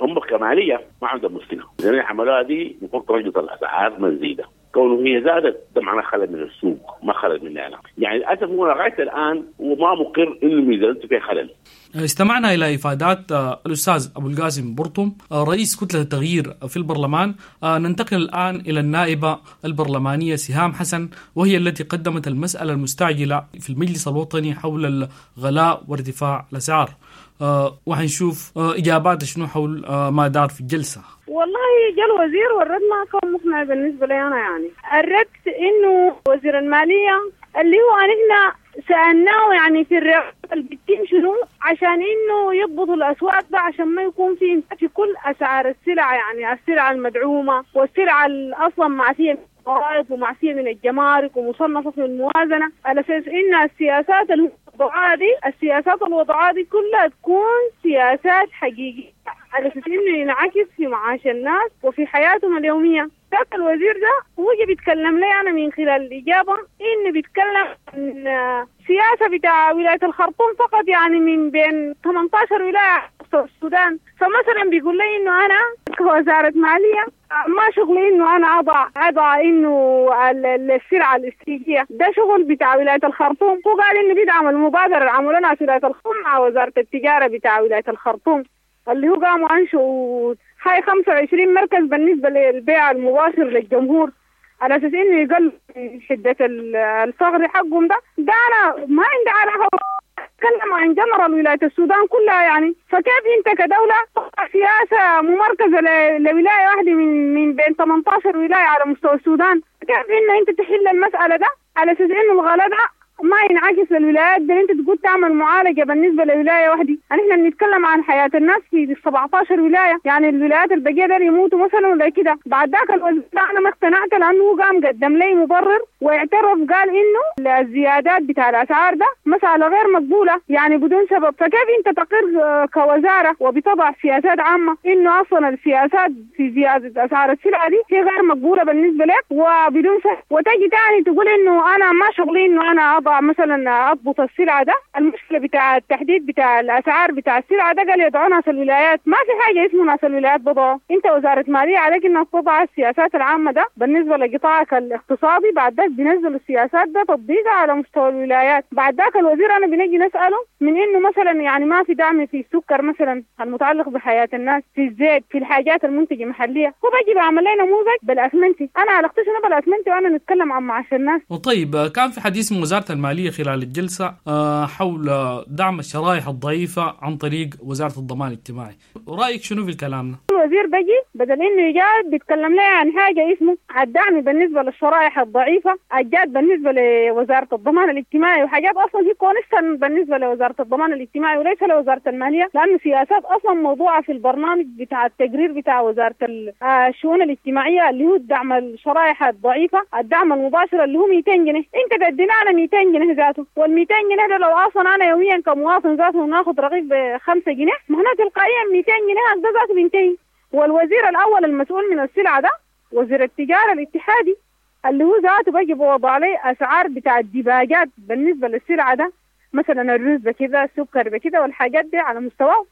هم كماليه ما عندهم مشكلة. زي عملوها دي المفروض ترجع الاسعار ما تزيد، كونه هي زادت ده معناه خلل من السوق ما خلل مننا أنا. يعني للاسف هو لغاية الان وما مقر انه ميزانيته فيها خلل. استمعنا الى افادات الاستاذ ابو القاسم برطم رئيس كتلة التغيير في البرلمان. ننتقل الان الى النائبه البرلمانية سهام حسن، وهي التي قدمت المسالة المستعجله في المجلس الوطني حول الغلاء وارتفاع الاسعار. وحنشوف اجابات شنو حول ما دار في الجلسة. والله جاء الوزير والرد ما كان مقنع بالنسبة لي انا. يعني الرد انه وزير المالية اللي هو نحن سالناه يعني في الرقابة اللي بتتم شنو عشان انه يضبطوا الاسواق ده، عشان ما يكون في كل اسعار السلع، يعني السلع المدعومه والسلع اصلا معفيه من الضرائب ومعفيه من الجمارك ومصنفه في الموازنة، على اساس ان السياسات الوضعية دي كلها تكون سياسات حقيقية على اساس انه ينعكس في معاش الناس وفي حياتهم اليومية. ذاك الوزير ده هو بيتكلم لي انا من خلال الاجابة انه بيتكلم عن سياسة بتاع ولاية الخرطوم فقط، يعني من بين 18 ولاية في السودان. فمثلا بيقول لي انه انا كوزارة ماليه ما شغلي انه انا اضع انه السلعة الاستراتيجية، ده شغل بتاع ولاية الخرطوم. هو قال انه بيدعم المبادرة اللي عملوها في ولاية الخرطوم مع وزارة التجارة بتاع ولاية الخرطوم، اللي هو قاموا انشئوا هاي 25 مركز بالنسبة للبيع المباشر للجمهور، على اساس انه يقل شده الفقر حقهم. ده انا ما عندي علاقة، اتكلم عن جنرال ولاية السودان كلها يعني. فكيف انت كدولة سياسة ممركزه لولاية واحدة من بين 18 ولاية على مستوى السودان، كيف ان انت تحل المسالة ده على اساس انه الغلاء ده ما ينعكس للولايات دي؟ انت تقول تعمل معالجة بالنسبة لولاية واحدة، احنا بنتكلم عن حياة الناس في 17 ولاية، يعني الولايات البقية دي يموتوا مثلا ولا كده. بعد ذاك الوزير انا ما اقتنعت لانه هو قام قدم لي مبرر واعترف، قال انه الزيادات بتاع الاسعار ده مسالة غير مقبولة يعني بدون سبب. فكيف انت تقر كوزارة وبتضع سياسات عامة انه اصلا السياسات في زيادة اسعار السلع دي هي غير مقبولة بالنسبة لك وبدون سبب، وتجي تاني تقول انه انا ما شغلي انه انا اضع مثلا اضبط السلعة ده، المشكلة بتاع التحديد بتاع الاسعار بتاع السلعة ده قال يدعوا ناس الولايات. ما في حاجة اسمه ناس الولايات بضعوا، انت وزارة ماليه عليك انك تضع السياسات العامة ده بالنسبة لقطاعك الاقتصادي، بعد ذاك بينزلوا السياسات ده تطبيقها على مستوى الولايات. بعد ذاك الوزير انا بنجي نساله من انه مثلا يعني ما في دعم في السكر مثلا المتعلق بحياة الناس، في الزيت، في الحاجات المنتجة محليه، هو بيجي بعمل لنا نموذج بالاسمنتي. انا علاقتي شنو بالاسمنتي وانا نتكلم عن معاش الناس؟ وطيب كان في حديث من وزارة المالية خلال الجلسة حول دعم الشرائح الضعيفة عن طريق وزارة الضمان الاجتماعي، رايك شنو في الكلام ده؟ الوزير بيجي بدل انه يجاوب بيتكلم لي عن حاجة اسمه الدعم بالنسبة للشرائح الضعيفة، الجاد بالنسبة لوزارة الضمان الاجتماعي، وحاجات اصلا هي constant بالنسبة لوزارة الضمان الاجتماعي وليس لوزارة المالية، لانه سياسات اصلا موضوعه في البرنامج بتاع التقرير بتاع وزارة الشؤون الاجتماعية اللي هو دعم الشرائح الضعيفة، الدعم المباشر اللي هو 200 جنيه، انت تدينا انا 200 جنيه ذاته، وال 200 جنيه ده لو اصلا انا يوميا كمواطن ذاته ناخذ رغيف ب 5 جنيه، معناته تلقائيا 200 جنيه ده ذاته بينتهي. والوزير الاول المسؤول من السلعة ده وزير التجارة الاتحادي اللي هو ذاته بيجي بوضع عليه اسعار بتاع الدباجات بالنسبة للسلعة ده، مثلا الرز بكذا، السكر بكذا، والحاجات دي على مستواه.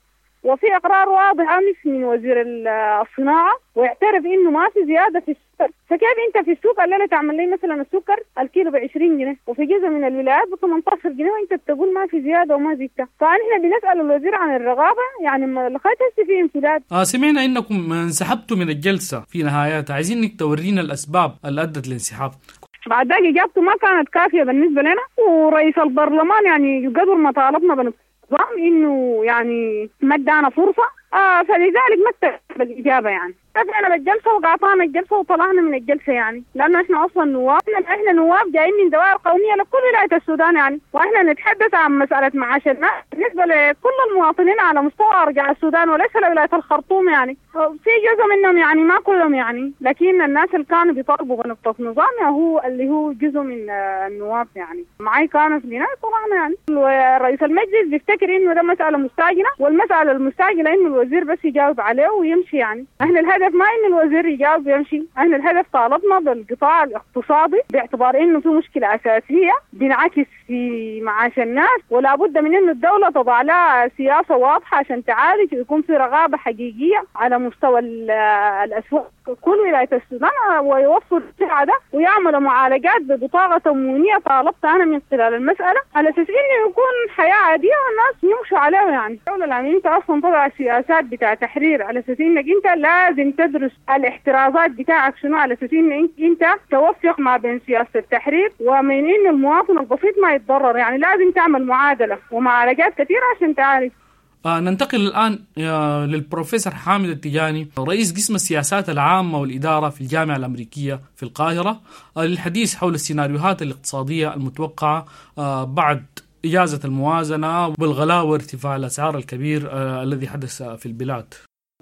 وفي اقرار واضح امس من وزير الصناعة ويعترف انه ما في زيادة في السكر، فكيف انت في السوق الليلة تعمل لي مثلا السكر الكيلو ب 20 جنيه وفي جزء من الولايات ب 18 جنيه وانت بتقول ما في زيادة وما زدتها؟ فاحنا بنسال الوزير عن الرغابه، يعني لغاية هسه في انفلات. سمعنا انكم انسحبتوا من الجلسة في نهايتها، عايزين انك تورينا الاسباب اللي ادت للانسحاب. بعد ذلك اجابته ما كانت كافيه بالنسبة لنا، ورئيس البرلمان يعني قدر ما طالبنا بالنظام انه يعني ما ادانا فرصة، فلذلك ما اكتفى بالاجابة يعني. رجعنا بالجلسه وقاطعنا الجلسة وطلعنا من الجلسة يعني، لانه احنا اصلا نواب، احنا نواب جايين من دوائر قومية لكل ولاية السودان يعني، واحنا نتحدث عن مسالة معاش الناس بالنسبة لكل المواطنين على مستوى ارجاء السودان وليس لولاية الخرطوم يعني. في جزء منهم يعني ما كلهم يعني، لكن الناس اللي كانوا بيطالبوا بنقطة نظام هو اللي هو جزء من النواب يعني معي كانوا في النهاية طلعنا يعني. رئيس المجلس بيفتكر انه ده مسالة مستعجلة، والمسالة المستعجله انه الوزير بس يجاوب عليه ويمشي يعني. احنا الهدف ما ان الوزير يجاوب ويمشي، احنا الهدف طالبنا بالقطاع الاقتصادي باعتبار انه في مشكلة اساسية بينعكس في معاش الناس، ولا بد من انه الدولة تضع لها سياسة واضحة عشان تعالج ويكون في رغابه حقيقية على مستوى الاسواق كل ولاية السودان، ويوفر السلعة ده ويعملوا معالجات ببطاقه تموينيه. طالبت انا من خلال المسالة على اساس انه يكون حياة عادية والناس يمشوا عليها يعني. الدولة يعني انت اصلا تضع سياسات بتاع تحرير على اساس انك انت لازم تدرس الاحترازات بتاعك شنو، على اساس ان انت توفق ما بين سياسة التحرير ومن ان المواطن البسيط ما يتضرر يعني، لازم تعمل معادلة ومعالجات كثيرة عشان تعرف. ننتقل الآن للبروفيسور حامد التجاني، رئيس قسم السياسات العامة والإدارة في الجامعة الأمريكية في القاهرة، للحديث حول السيناريوهات الاقتصادية المتوقعة بعد إجازة الموازنة والغلاء وارتفاع الأسعار الكبير الذي حدث في البلاد.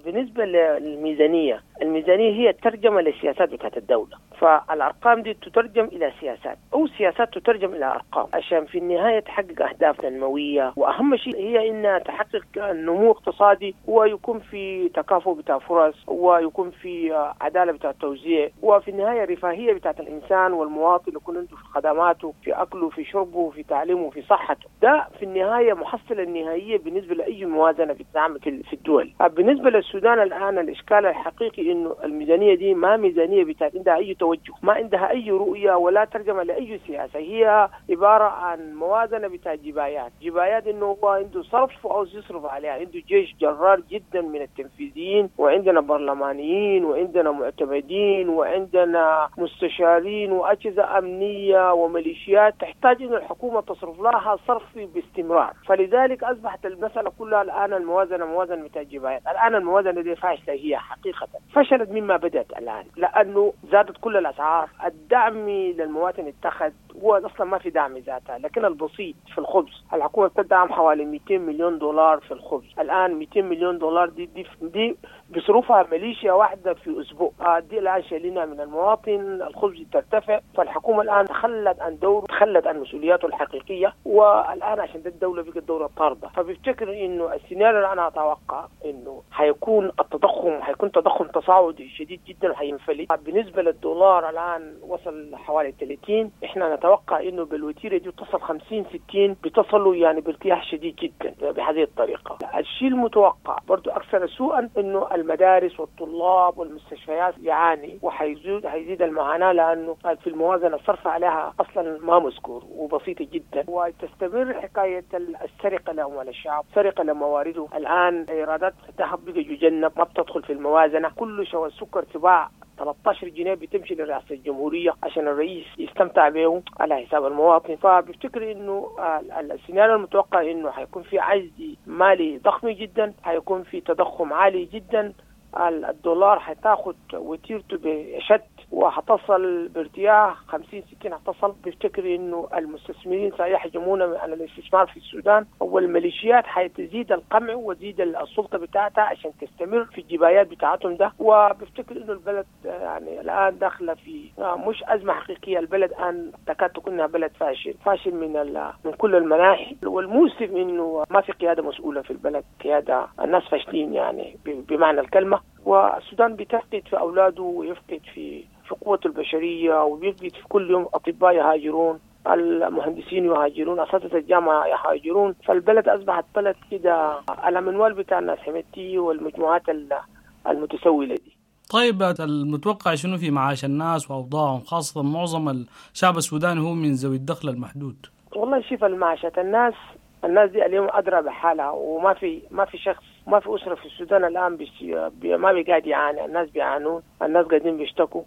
بالنسبة للميزانية، الميزانية هي الترجمة للسياسات بتاعت الدولة، فالأرقام دي تترجم إلى سياسات أو سياسات تترجم إلى أرقام عشان في النهاية تحقق أهداف تنموية، وأهم شيء هي إنها تحقق نمو اقتصادي ويكون في تكافؤ بتاع فرص ويكون في عدالة بتاع التوزيع، وفي النهاية رفاهية بتاعت الإنسان والمواطن يكون عنده في خدماته، في أكله، في شربه، في تعليمه، في صحته. ده في النهاية محصلة النهائية بالنسبة لأي موازنة بتتعمل في الدول. بالنسبة للسودان الآن الإشكال الحقيقي إنه الميزانية دي ما ميزانية بتاعت عندها أي توجه، ما عندها أي رؤية ولا ترجمة لأي سياسة، هي عبارة عن موازنة بتاع جبايات، جبايات إنه هو عنده صرف وعاوز يصرف عليها، عنده جيش جرار جدا من التنفيذيين، وعندنا برلمانيين وعندنا معتمدين وعندنا مستشارين وأجهزة أمنية وميليشيات تحتاج إنه الحكومة تصرف لها صرف باستمرار. فلذلك أصبحت المسألة كلها الآن الموازنة موازنة بتاع جبايات. الآن الموازنة دي فاشلة، هي حقيقة فشلت مما بدأت الآن، لأنه زادت كل الأسعار، الدعم للمواطن اتخذ، هو أصلا ما في دعم ذاتها، لكن البسيط في الخبز الحكومة بتدعم حوالي 200 مليون دولار في الخبز. الآن 200 مليون دولار دي بصروفها ميليشيا واحدة في اسبوع. دي الان شايلينها من المواطن، الخبز ترتفع. فالحكومة الان تخلت عن دور، تخلت عن مسؤولياته الحقيقية، والان عشان ده الدولة بقت دولة طارده. فبفتكر انه السيناريو اللي انا اتوقع انه حيكون التضخم، حيكون تضخم تصاعدي شديد جدا وحينفلت. بالنسبة للدولار الان وصل حوالي 30، احنا نتوقع انه بالوتيره دي تصل 50 60، بتصلوا يعني بارتياح شديد جدا بهذه الطريقة. الشيء المتوقع برضو اكثر سوءا انه المدارس والطلاب والمستشفيات يعاني، وحيزيد هيزيد المعاناة، لانه في الموازنة الصرف عليها اصلا ما مذكور وبسيطة جدا. وتستمر حكاية السرقة لاموال الشعب، سرقه لموارده. الان ايرادات الذهب بقى يجنب، ما بتدخل في الموازنة. كل شوى السكر تباع 13 جنيه بتمشي لرئاسة الجمهورية عشان الرئيس يستمتع به على حساب المواطن. فبفتكر انه السيناريو المتوقع انه حيكون في عجز مالي ضخم جدا، حيكون في تضخم عالي جدا، الدولار حتاخد وتيرته بشد وحتصل بارتياح 50 60 حتصل. بفتكر انه المستثمرين سيحجمون على الاستثمار في السودان، والميليشيات حتزيد القمع وتزيد السلطة بتاعتها عشان تستمر في الجبايات بتاعتهم ده. وبفتكر انه البلد يعني الان داخله في مش ازمة حقيقية، البلد الان تكاد تكون بلد فاشل، فاشل من كل المناحي. والمؤسف انه ما في قيادة مسؤولة في البلد، قيادة الناس فاشلين يعني بمعنى الكلمة. والسودان بتفقد في أولاده ويفقد في قوته البشرية، وبيفقد في كل يوم أطباء يهاجرون، المهندسين يهاجرون، أساتذة الجامعة يهاجرون. فالبلد أصبحت بلد كده على منوال بتاع الناس حميدتي والمجموعات المتسولة دي. طيب المتوقع شنو في معاش الناس وأوضاعهم، خاصة معظم الشعب السوداني هو من ذوي الدخل المحدود؟ والله شوف المعاشات، الناس دي اليوم أدرى بحالها، وما في ما في شخص، ما في أسرة في السودان الآن ما بيقعد يعاني. الناس بيعانون، الناس قاعدين بيشتكوا.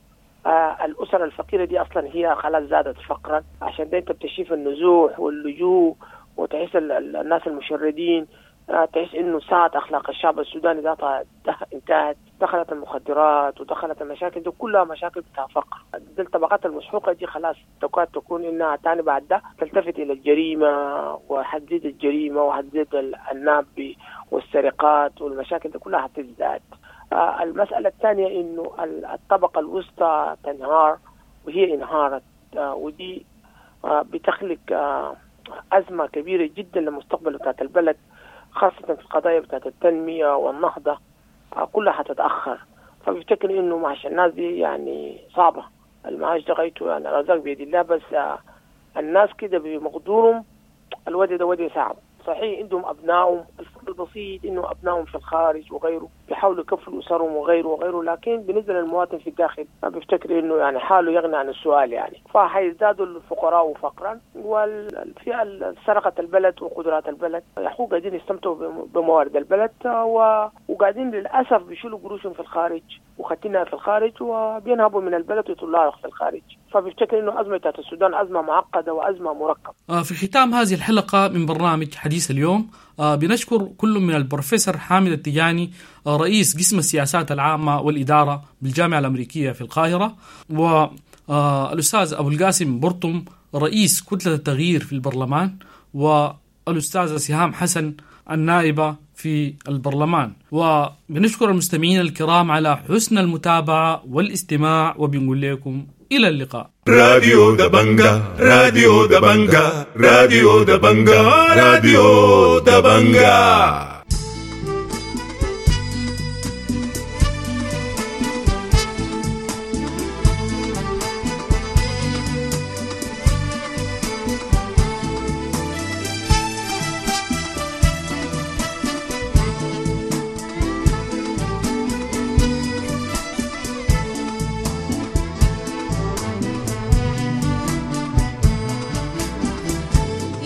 الأسر الفقيرة دي أصلا هي خلاص زادت فقرا، عشان ده أنت بتشوف النزوح واللجوء، وتحس الناس المشردين، تحس إنه ساعة أخلاق الشعب السوداني ذاتها انتهت. دخلت المخدرات ودخلت المشاكل دي كلها مشاكل بتاع فقر. دي الطبقات المسحوقة دي خلاص تكاد تكون إنها تاني بعد ده تلتفت إلى الجريمة، وحتزيد الجريمة وحتزيد الناب والسرقات والمشاكل دي كلها حتزداد. المسألة الثانية إنه الطبقة الوسطى تنهار، وهي انهارت، ودي بتخلق أزمة كبيرة جدا للمستقبل بتاعت البلد، خاصة في القضايا بتاعت التنمية والنهضة كلها حتتأخر. فبفتكر إنه معاش الناس دي يعني صعبة، المعاش ده غايته يعني الأرزاق بيد الله، بس الناس كده بمقدورهم الوضع ده وضع صعب. صحيح عندهم أبنائهم، الفرق البسيط إنه أبنائهم في الخارج وغيره بيحاولوا يكفلوا أسرهم وغيره وغيره، لكن بالنسبة للمواطن في الداخل بفتكر إنه يعني حاله يغني عن السؤال يعني. فحيزدادوا الفقراء فقرا، والفئة اللي سرقت البلد وقدرات البلد يحقوا قاعدين يستمتعوا بموارد البلد، وقاعدين للأسف بيشيلوا قروشهم في الخارج وختينها في الخارج، وبينهبوا من البلد ويطلعوا في الخارج. فبفتكر إنه أزمة السودان أزمة معقدة وأزمة مركبة. في ختام هذه الحلقة من برنامج حديث اليوم بنشكر كل من البروفيسور حامد التجاني رئيس قسم السياسات العامة والإدارة بالجامعة الأمريكية في القاهرة، والأستاذ أبو القاسم برطم رئيس كتلة التغيير في البرلمان، والأستاذة سهام حسن النائبة في البرلمان. وبنشكر المستمعين الكرام على حسن المتابعة والاستماع، وبنقول لكم إلى اللقاء. راديو دبنجا، راديو دبنجا، راديو دبنجا، راديو دبنجا.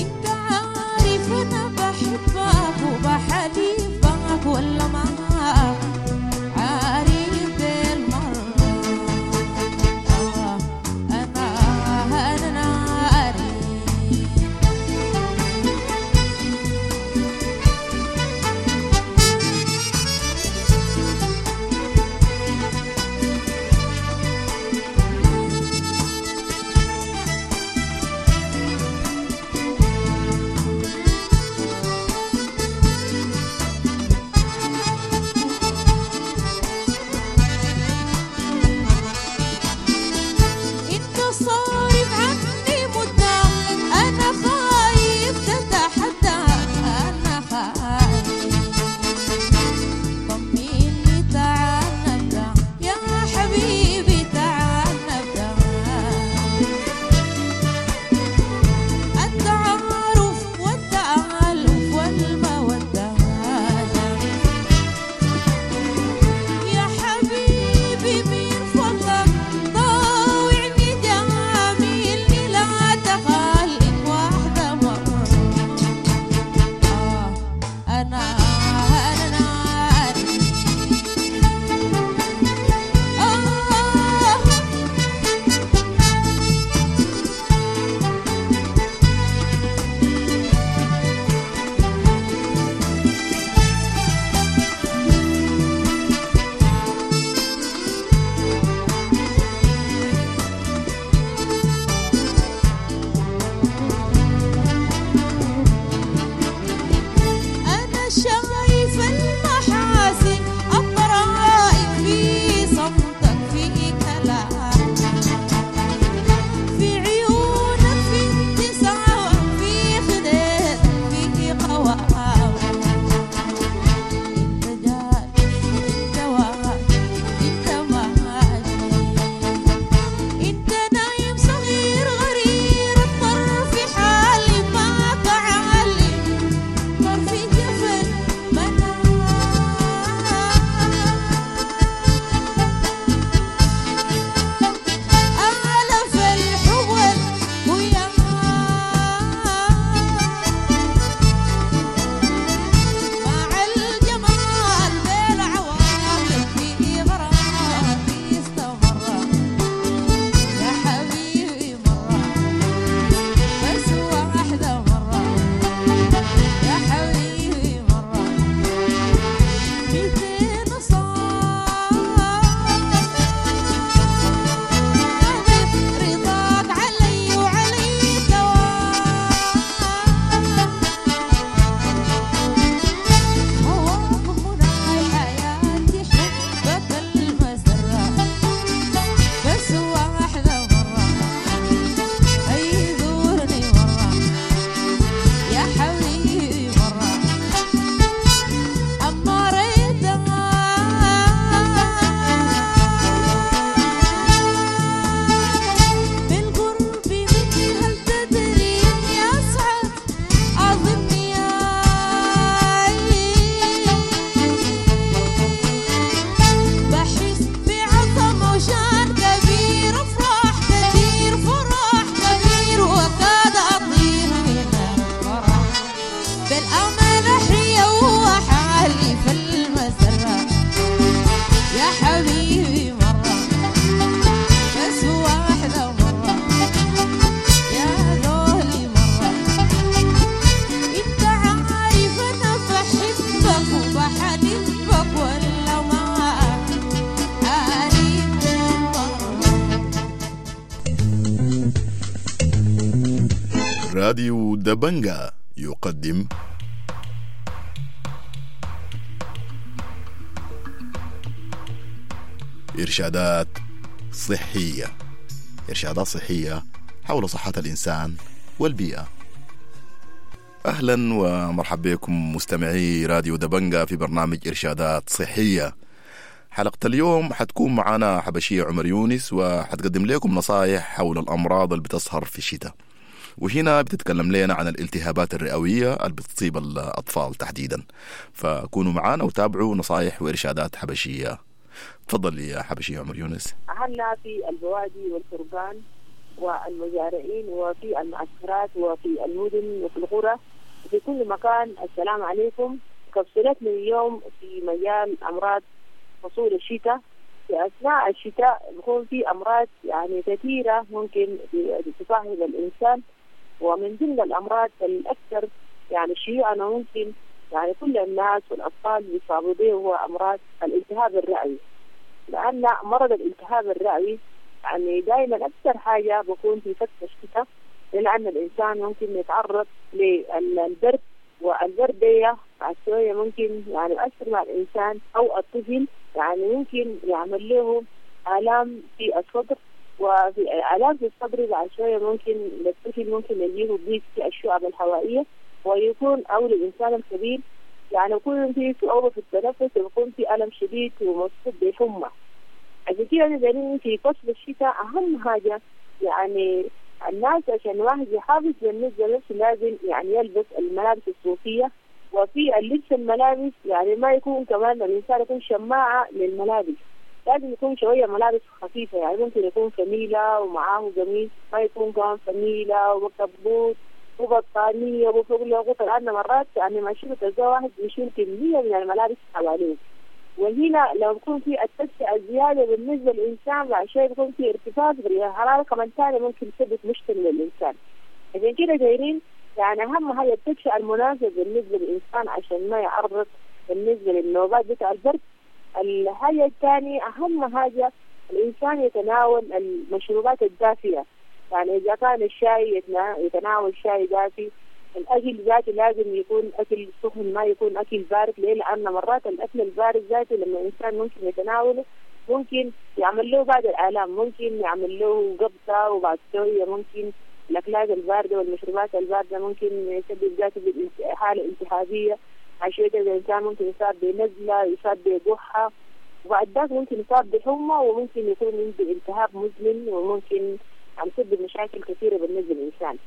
انت عارف انا بحبك وبحب حبيبي مرة، بس واحدة مرة يا زولي مرة. انت عارف انا بحبك وبحبك ولا ما عارف مرة. راديو دبنجا يقدم إرشادات صحية. إرشادات صحية حول صحة الإنسان والبيئة. أهلا ومرحبا بكم مستمعي راديو دبنجا في برنامج إرشادات صحية. حلقة اليوم حتكون معنا حبشية عمر يونس، وحتقدم لكم نصائح حول الأمراض اللي بتظهر في الشتاء، وهنا بتتكلم لنا عن الالتهابات الرئوية اللي بتصيب الأطفال تحديدا. فكونوا معنا وتابعوا نصائح وإرشادات حبشية. تفضل يا حبشية عمر يونس. أهلنا في البوادي والتربان والمزارعين وفي المعسكرات وفي المدن وفي القرى وفي كل مكان، السلام عليكم. كبسولتنا اليوم في مجال أمراض فصول الشتاء. في أثناء الشتاء بيكون في أمراض يعني كثيرة ممكن تصاحب الإنسان، ومن ضمن الأمراض الأكثر يعني شيوعا ممكن يعني كل الناس والأطفال بيصابوا به هو أمراض الالتهاب الرئوي. لأن مرض الالتهاب الرئوي يعني دائما أكثر حاجة بكون في فترة الشتاء، لأن الإنسان ممكن يتعرض للبرد، والبرد دي بعد شوية ممكن يعني يؤثر مع الإنسان أو الطفل، يعني ممكن يعمل له آلام في الصدر، وفي آلام في الصدر بعد شوية ممكن للطفل ممكن يجيه ضيق في الشعب الهوائية، ويكون أو للإنسان الكبير يعني يكون في صعوبة في التنفس، ويكون في ألم شديد ومصحوب بحمى. عشان كده أنا دايرين في فصل الشتاء أهم حاجة يعني الناس عشان واحد يحافظ بالنسبة لنفسه لازم يعني يلبس الملابس الصوفية، وفي اللبس الملابس يعني ما يكون كمان الإنسان يكون شماعة للملابس، لازم يكون شوية ملابس خفيفة، يعني ممكن يكون فميلة ومعاه قميص، ما يكون كمان فميلة وكبوت وبطانية وفوق له غطا، لأن مرات يعني ما يشيل تلقى واحد بيشيل كمية من الملابس حواليه. وهنا لو يكون في التدفئة الزيادة بالنسبة للإنسان بعد شوية بيكون في ارتفاع في الحرارة كمان ثاني ممكن يسبب مشكلة للإنسان. عشان كده دايرين يعني أهم حاجة التدفئة المناسبة بالنسبة للإنسان عشان ما يعرض بالنسبة للنوبات بتاع البرد. الحاجة الثانية أهم حاجة الإنسان يتناول المشروبات الدافية، يعني إذا كان الشاي يتناول شاي دافي، الأكل ذاته لازم يكون أكل سخن ما يكون أكل بارد. ليه؟ لأن مرات الأكل البارد ذاته لما الإنسان ممكن يتناوله ممكن يعمل له بعض الآلام، ممكن يعمل له قبضة، وبعد شوية ممكن الأكلات الباردة والمشروبات الباردة ممكن يسبب ذاته حالة التهابية. عشان كده الإنسان ممكن يصاب بنزلة، يصاب بقحة، وبعد ذاك ممكن يصاب بحمى، وممكن يكون عنده التهاب مزمن، وممكن عم يسبب مشاكل كثيرة بالنسبة للإنسان.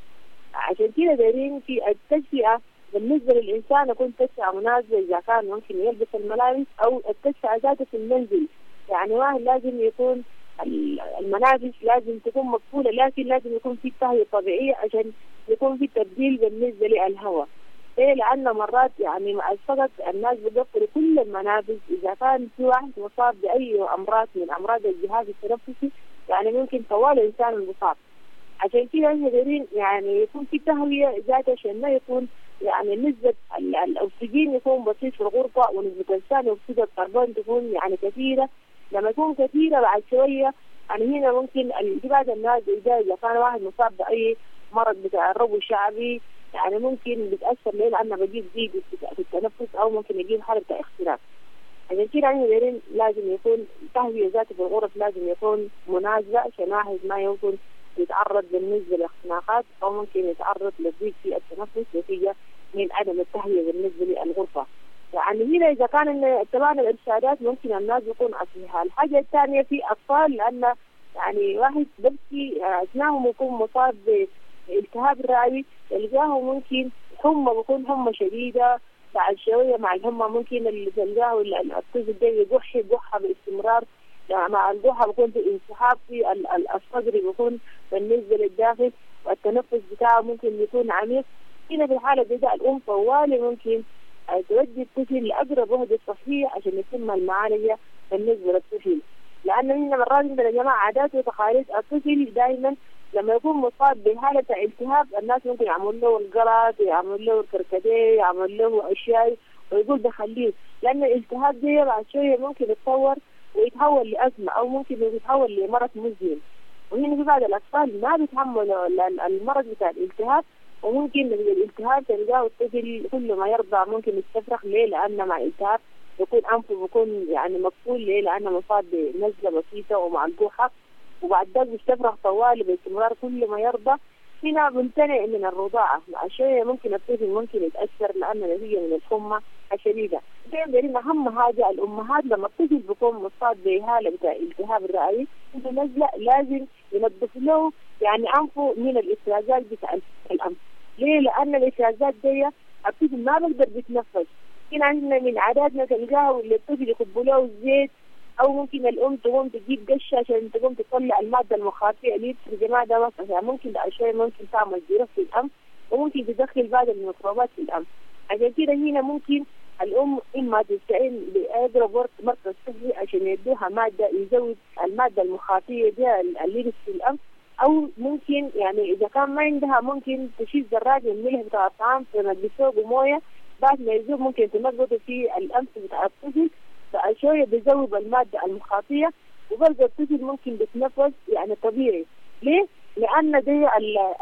عشان كده دايرين في التدفئة بالنسبة للإنسان يكون تدفئة مناسبة، إذا كان ممكن يلبس الملابس أو التدفئة ذاته في المنزل. يعني واحد لازم يكون الملابس لازم تكون مقفولة، لكن لازم يكون في تهوية طبيعية عشان يكون في تبديل بالنسبة للهواء. ليه؟ لأن مرات يعني مع الفقد الناس بيقفلوا كل المنافذ. إذا كان في واحد مصاب بأي أمراض من أمراض الجهاز التنفسي يعني ممكن طوال الإنسان المصاب. عشان كده احنا دايرين يعني يكون في تهوية ذات عشان ما يكون يعني نسبة الأكسجين يكون بسيط في الغرفة، ونسبة ثاني أكسيد الكربون تكون يعني كثيرة. لما تكون كثيرة بعد شوية يعني هنا ممكن بعض الناس إذا كان واحد مصاب بأي مرض بتاع الربو الشعبي يعني ممكن بتأثر ليه؟ لأنه بجيب ضيق في التنفس أو ممكن يجيب حالة بتاع اختناق. عشان كده احنا دايرين لازم يكون تهوية ذاتي في الغرف لازم يكون مناسبة عشان واحد ما يكون يتعرض بالنسبة لاختناقات أو ممكن يتعرض لضيق في التنفس نتيجة من عدم التهوية بالنسبة للغرفة. يعني هنا إذا كان اتبعنا الإرشادات ممكن الناس يكون أصلها. الحاجة الثانية في أطفال، لأن يعني واحد ببكي أثناءهم يكون مصاب بالتهاب رئوي تلقاه ممكن حمى، بيكون حمى شديدة بعد شوية مع الحمى ممكن اللي تلقاه الطفل ده يقح قحة باستمرار، يعني مع القحة بيكون في انسحاب في الصدر بيكون بالنسبة للداخل، والتنفس بتاعه ممكن يكون عميق. هنا في الحالة دي ده الأم طوالي ممكن تودي الطفل لأقرب وحدة صحية عشان يتم المعالجة بالنسبة للطفل، لأنه إحنا مرات عندنا يا جماعة عادات وتقاليد. الطفل دائما لما يكون مصاب بحالة التهاب الناس ممكن يعمل له القرط، يعمل له الكركديه، يعمل له أشياء ويقول بخليه، لأن الالتهاب ده بعد شوية ممكن يتطور ويتحول لأزمة أو ممكن يتحول لمرض مزمن. وهنا في بعض الأطفال ما بيتحملوا المرض بتاع الالتهاب، وممكن من الالتهاب تلقاه الطفل كل ما يرضع ممكن يستفرغ. ليه؟ لأن مع الالتهاب بيكون أنفه بيكون يعني مقفول. ليه؟ لأنه مصاب بنزلة بسيطة ومع الجوحة، وبعد ذلك بيستفرغ طوالي باستمرار كل ما يرضع. هنا بمتنع من الرضاعة مع شوية ممكن الطفل ممكن يتأثر لأنه نتيجة من الحمى الشديدة. دايما أهم حاجة الأمهات لما الطفل بيكون مصاب بهالة بتاع التهاب الرئوي عنده نزلة لازم ينظف له يعني أنفه من الإفرازات بتاع الأنف. ليه؟ لأن الإفرازات دي الطفل ما بيقدر بيتنفس. هنا عندنا من عاداتنا تلقاه اللي الطفل يكبوا له الزيت، أو ممكن الأم تقوم تجيب قشة عشان تقوم تطلع المادة المخاطية اللي يا جماعة ده مثلا ممكن بعد ممكن تعمل جروح في الأنف، وممكن تدخل بعض الميكروبات في الأنف. عشان كده هنا ممكن الأم إما تستعين بأقرب مركز صحي عشان يدوها مادة يزود المادة المخاطية دي اللي في الأنف، أو ممكن يعني إذا كان ما عندها ممكن تشيل ذرات من الملح بتاع الطعام تنقصه بموية، بعد ما يذوب ممكن تنقطه في الأنف بتاع الطفل، فشوية بيذوب المادة المخاطية وبرضه الطفل ممكن بيتنفس يعني طبيعي. ليه؟ لأن دي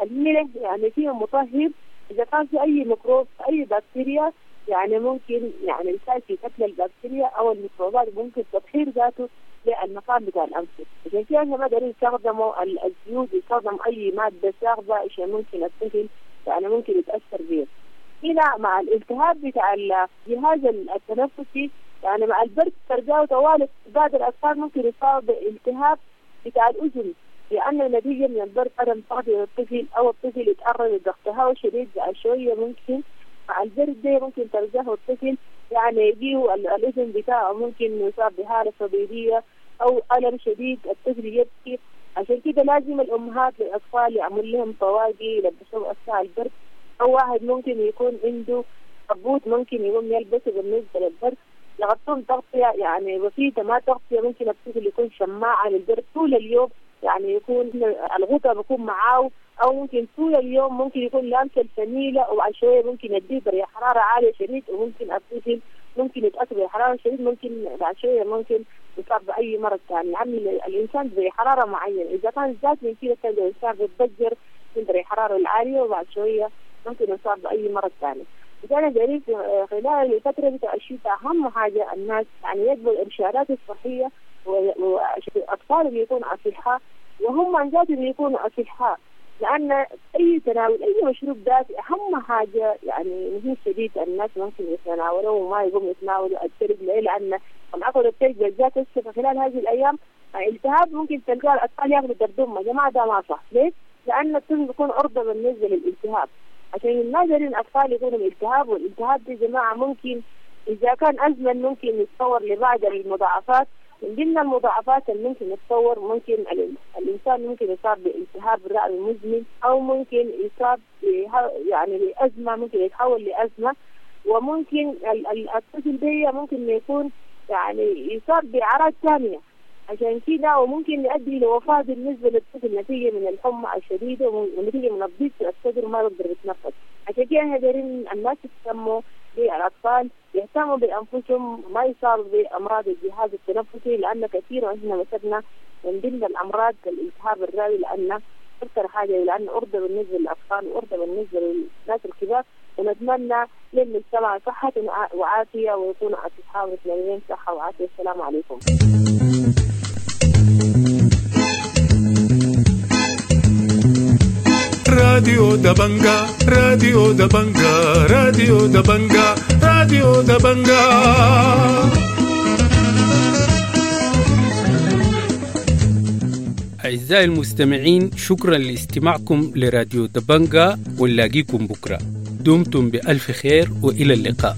الملح يعني فيه مطهر، إذا كان في أي ميكروب أي بكتيريا يعني ممكن يعني يساعد في قتل البكتيريا أو الميكروبات، ممكن تطهير ذاته للمكان بتاع الأنف. عشان كده احنا ما دارين يستخدموا الزيوت، يستخدم أي مادة صاخبة عشان ممكن الطفل يعني ممكن يتأثر بيه. هنا مع الالتهاب بتاع الجهاز التنفسي يعني مع البرد ترجعوا طوال بعض الأطفال ممكن يصاب بالتهاب بتاع الأذن، لأن نتيجة من البرد عدم تغذية الطفل أو الطفل يتعرض لضغط هواء شديد شوية، ممكن مع البرد ده ممكن ترجعه الطفل يعني يجيه الأذن بتاعه ممكن يصاب بحالة صديدية أو ألم شديد، الطفل يبكي. عشان كده لازم الأمهات للأطفال يعمل لهم طواقي يلبسوهم أثناء البرد، أو واحد ممكن يكون عنده كبوت ممكن يقوم يلبسه بالنسبة للبرد، يغطون تغطية يعني بسيطة ما تغطية، ممكن الطفل يكون شماعة للبرد طول اليوم، يعني يكون الغطاء بيكون معاه، أو ممكن طول اليوم ممكن يكون لابس الفنيلة، وبعد شوية ممكن يديه درجة حرارة عالية شديد، وممكن الطفل ممكن يتأثر بحرارة شديد، ممكن بعد شوية ممكن يصاب بأي مرض ثاني. يعني الإنسان بحرارة معينة إذا كان زاد من كده كان الإنسان بيتضجر من درجة الحرارة العالية، وبعد شوية ممكن يصاب بأي مرض ثاني. وكان جريء خلال الفترة بتاع الشتاء أهم حاجة الناس يعني يتبعوا الإرشادات الصحية، والأطفال يكونوا أصحاء وهم عن ذاتهم يكونوا أصحاء، لأن أي تناول أي مشروب دافئ أهم حاجة يعني مهم شديد الناس ممكن يتناولوه وما يقوم يتناولوا الثلج. ليه؟ لأن العقد الثلج بالذات هسه خلال هذه الأيام التهاب ممكن تلقاه الأطفال ياخذوا دردمة. يا جماعة ده ما صح. ليه؟ لأن الطفل بيكون عرضة بالنسبة للالتهاب، عشان ما دارين الأطفال يكونوا بالالتهاب، والالتهاب دي جماعة ممكن إذا كان أزمن ممكن يتطور لبعض المضاعفات. من ضمن المضاعفات اللي ممكن يتطور ممكن الإنسان ممكن يصاب بالتهاب الرئوي المزمن، أو ممكن يصاب يعني بأزمة، ممكن يتحول لأزمة، وممكن الطفل ده ممكن يكون يعني يصاب بأعراض ثانية عشان كده، وممكن يؤدي لوفاة بالنسبة للطفل نتيجة من الحمى الشديدة ونتيجة من الضيق في الصدر وما يقدر يتنفس. عشان كده احنا دايرين الناس يهتموا بالأطفال، يهتموا بأنفسهم، ما يصابوا بأمراض الجهاز التنفسي، لأن كثير واحنا مسكنا من ضمن الأمراض الالتهاب الرئوي، لأن أكثر حاجة لأن أرضى بالنسبة للأطفال وأرضى بالنسبة للناس الكبار. ونتمنى للمجتمع صحة وعافية ويكونوا أصحاء ومتمنين صحة وعافية. السلام عليكم. راديو دبنجا، راديو دبنجا، راديو دبنجا، راديو دبنجا. أعزائي المستمعين، شكرا لاستماعكم لراديو دبنجا، ونلاقيكم بكرة. دمتم بألف خير وإلى اللقاء.